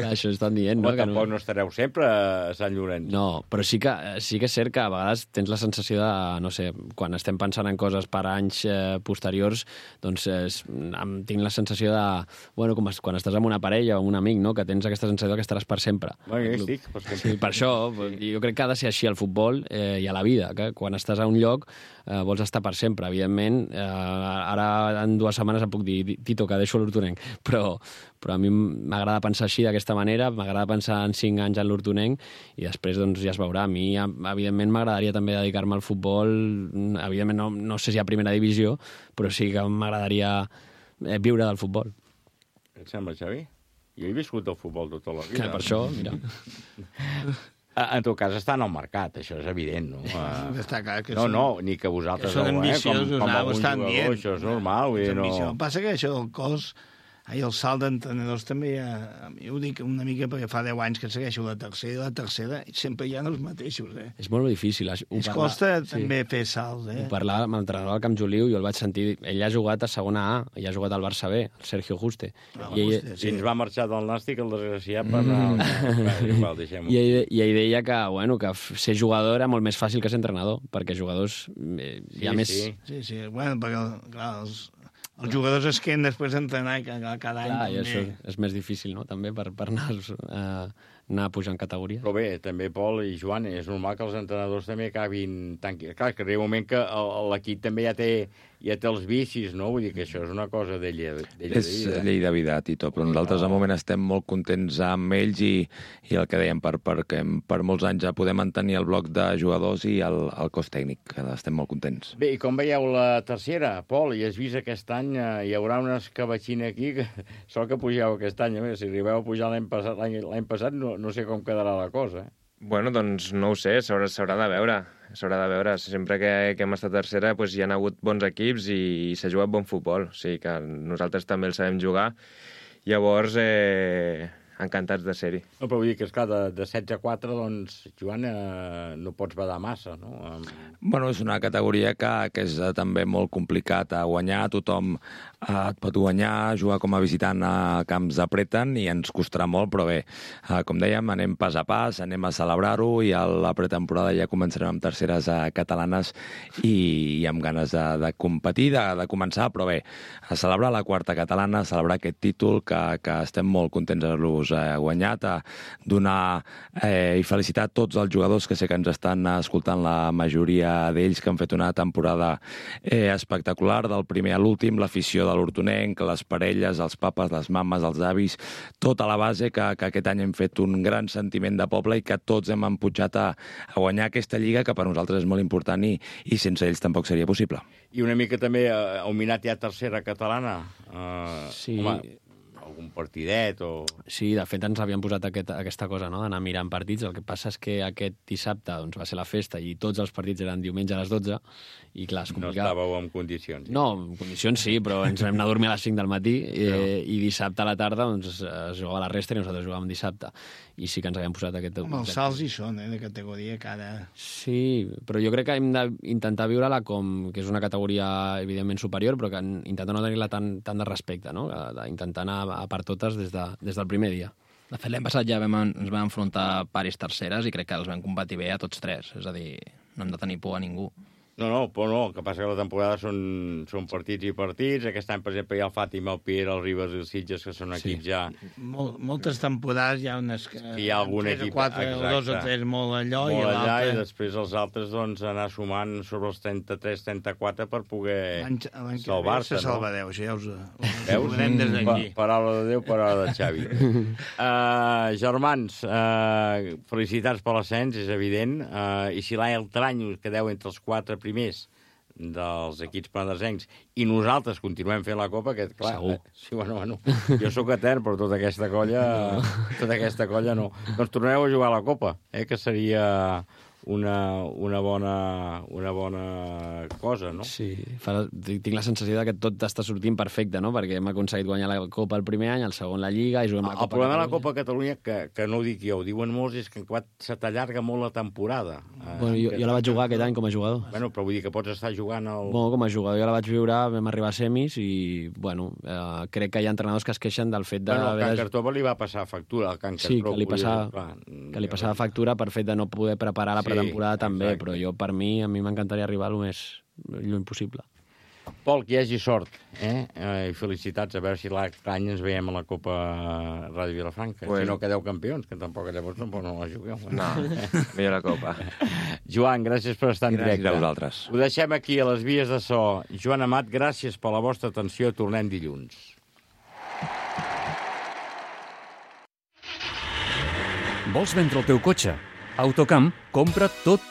Això estan dient, no? Home, tampoc no estareu sempre a Sant Llorenç. No, però sí que és cert que a vegades tens la sensació de, no sé, quan estem pensant en coses per anys posteriors, doncs tinc la sensació de, bueno, com quan estàs amb una parella o amb un amic, no?, que tens aquesta sensació que estaràs per sempre. Bueno, jo estic. Sí, per això, jo crec que ha de ser així al futbol i a la vida, que quan estàs a un lloc vols estar per sempre. Evidentment, ara en 2 setmanes em puc dir, Tito, que deixo l'Hortonenc, però a mi m'agrada pensar així, d'aquesta manera, m'agrada pensar en 5 anys en l'Hortonenc i després doncs ja es veurà. A mi, evidentment, m'agradaria també dedicar-me al futbol, evidentment no sé si a primera divisió, però sí que m'agradaria viure del futbol. Et sembla, Xavi? Jo he viscut el futbol tota la vida. Per això, mira... En tot cas, estan al mercat, això és evident, no? Està clar que no, ni que vosaltres... Són ambiciosos, com algun jugador, això és normal. El que passa que això del cos el salt d'entrenadors també jo ho dic una mica perquè fa 10 anys que segueixo la tercera i sempre hi ha els mateixos, És molt difícil. Costa també fer salts, Ho parlava amb l'entrenador del Camp Joliu, jo el vaig sentir, ell ha jugat a segona A, i ha jugat al Barça B, el Sergio Juste. Si ens va marxar del Nàstic, el desgraciat per anar... I ell deia que ser jugador era molt més fàcil que ser entrenador, perquè jugadors hi ha més... Sí, bueno, perquè, clar, els jugadors es queden després d'entrenar cada any. Clar, i això és més difícil, no?, també, per anar pujant categoria. Però bé, també, Pol i Joan, és normal que els entrenadors també acabin... Clar, que arriba un moment que l'equip també ja té els vicis, no? Vull dir que això és una cosa d'ella. És llei de vida, Tito, però nosaltres de moment estem molt contents amb ells i el que dèiem, perquè per molts anys ja podem mantenir el bloc de jugadors i el cos tècnic, que estem molt contents. Bé, i com veieu la tercera, Pol, i has vist aquest any, hi haurà una escabatxina aquí, que sort que pugeu aquest any, si arribeu a pujar l'any passat no sé com quedarà la cosa. Bueno, doncs no ho sé, s'haurà de veure. Sempre que hem estat tercera hi ha hagut bons equips i s'ha jugat bon futbol. O sigui que nosaltres també el sabem jugar. Llavors, encantats de ser-hi. No, però vull dir que, esclar, de 16 a 4, doncs, Joan, no pots badar massa, no? Bueno, és una categoria que és també molt complicat a guanyar. Tothom et pot guanyar, jugar com a visitant a camps apreten i ens costarà molt, però bé, com dèiem, anem pas a pas, anem a celebrar-ho i a la pretemporada ja començarem amb terceres catalanes i amb ganes de competir, de començar, però bé, a celebrar la quarta catalana, a celebrar aquest títol que estem molt contents d'haver-los guanyat, a donar i felicitar tots els jugadors que sé que ens estan escoltant, la majoria d'ells que han fet una temporada espectacular, del primer a l'últim, l'afició de l'Hortonenc, les parelles, els papes, les mames, els avis, tota la base que aquest any hem fet un gran sentiment de poble i que tots hem empujat a guanyar aquesta lliga que per nosaltres és molt important i sense ells tampoc seria possible. I una mica també auminat ja tercera catalana. Sí. Home, algun partidet o... Sí, de fet ens havíem posat aquesta cosa, no?, d'anar mirant partits. El que passa és que aquest dissabte doncs, va ser la festa i tots els partits eren diumenge a les 12 i clar, és complicat. No estàveu en condicions. No, en condicions sí, però ens vam anar a dormir a les 5 del matí i dissabte a la tarda doncs, es jugava la resta i nosaltres jugàvem dissabte. I sí que ens havíem posat aquest... Com els salts hi són, de categoria cada... Sí, però jo crec que hem d'intentar viure-la com que és una categoria evidentment superior, però que intentar no tenir-la tant de respecte, no?, d'intentar anar a per totes des del primer dia. De fet, l'any passat ja ens vam enfrontar pares terceres i crec que els vam competir bé a tots tres. És a dir, no hem de tenir por a ningú. No, però no, el que passa que la temporada són partits i partits. Aquest any, per exemple, hi ha el Fàtima, el Piera, el Ribes i el Sitges, que són equips ja... Moltes temporades hi ha unes... Hi ha algun equip... 4 o 2 o 3 molt allò i l'altre... I després els altres, doncs, anar sumant sobre els 33-34 per poder salvar-se, no? Se salvareu, això ja us veus? Des d'aquí. Paraula de Déu, paraula de Xavi. Germans, felicitats per l'ascens, és evident. I si l'altre any us quedeu entre els 4 primers dels equips penedesencs i nosaltres continuem fent la Copa, que clar... Sí, bueno, jo sóc etern, però tota aquesta colla no. Doncs torneu a jugar a la Copa, que seria una bona cosa, no? Sí, tinc la sensació que tot està sortint perfecte, no? Perquè hem aconseguit guanyar la Copa el primer any, el segon la Lliga i juguem la Copa El problema de la Copa Catalunya, que no ho dic jo, ho diuen molts, és que se t'allarga molt la temporada. Bueno, jo la vaig jugar aquest any com a jugador. Bueno, però vull dir que pots estar jugant Bueno, com a jugador jo la vaig viure, vam arribar a semis i, bueno, crec que hi ha entrenadors que es queixen del fet de... Bueno, al Can Cartova li va passar factura, al Can Sí, que li passava factura per fet de no poder preparar la temporada també, però a mi m'encantaria arribar el més lluny possible. Pol, que hi hagi sort, i felicitats, a veure si l'any ens veiem a la Copa Ràdio Vilafranca. Si no quedeu campions, que tampoc llavors no la jugueu. No, millor la Copa. Joan, gràcies per estar en directe. Gràcies a vosaltres. Ho deixem aquí a les vies de so. Joan Amat, gràcies per la vostra atenció. Tornem dilluns. Vols vendre el teu cotxe? Autocamp compra tot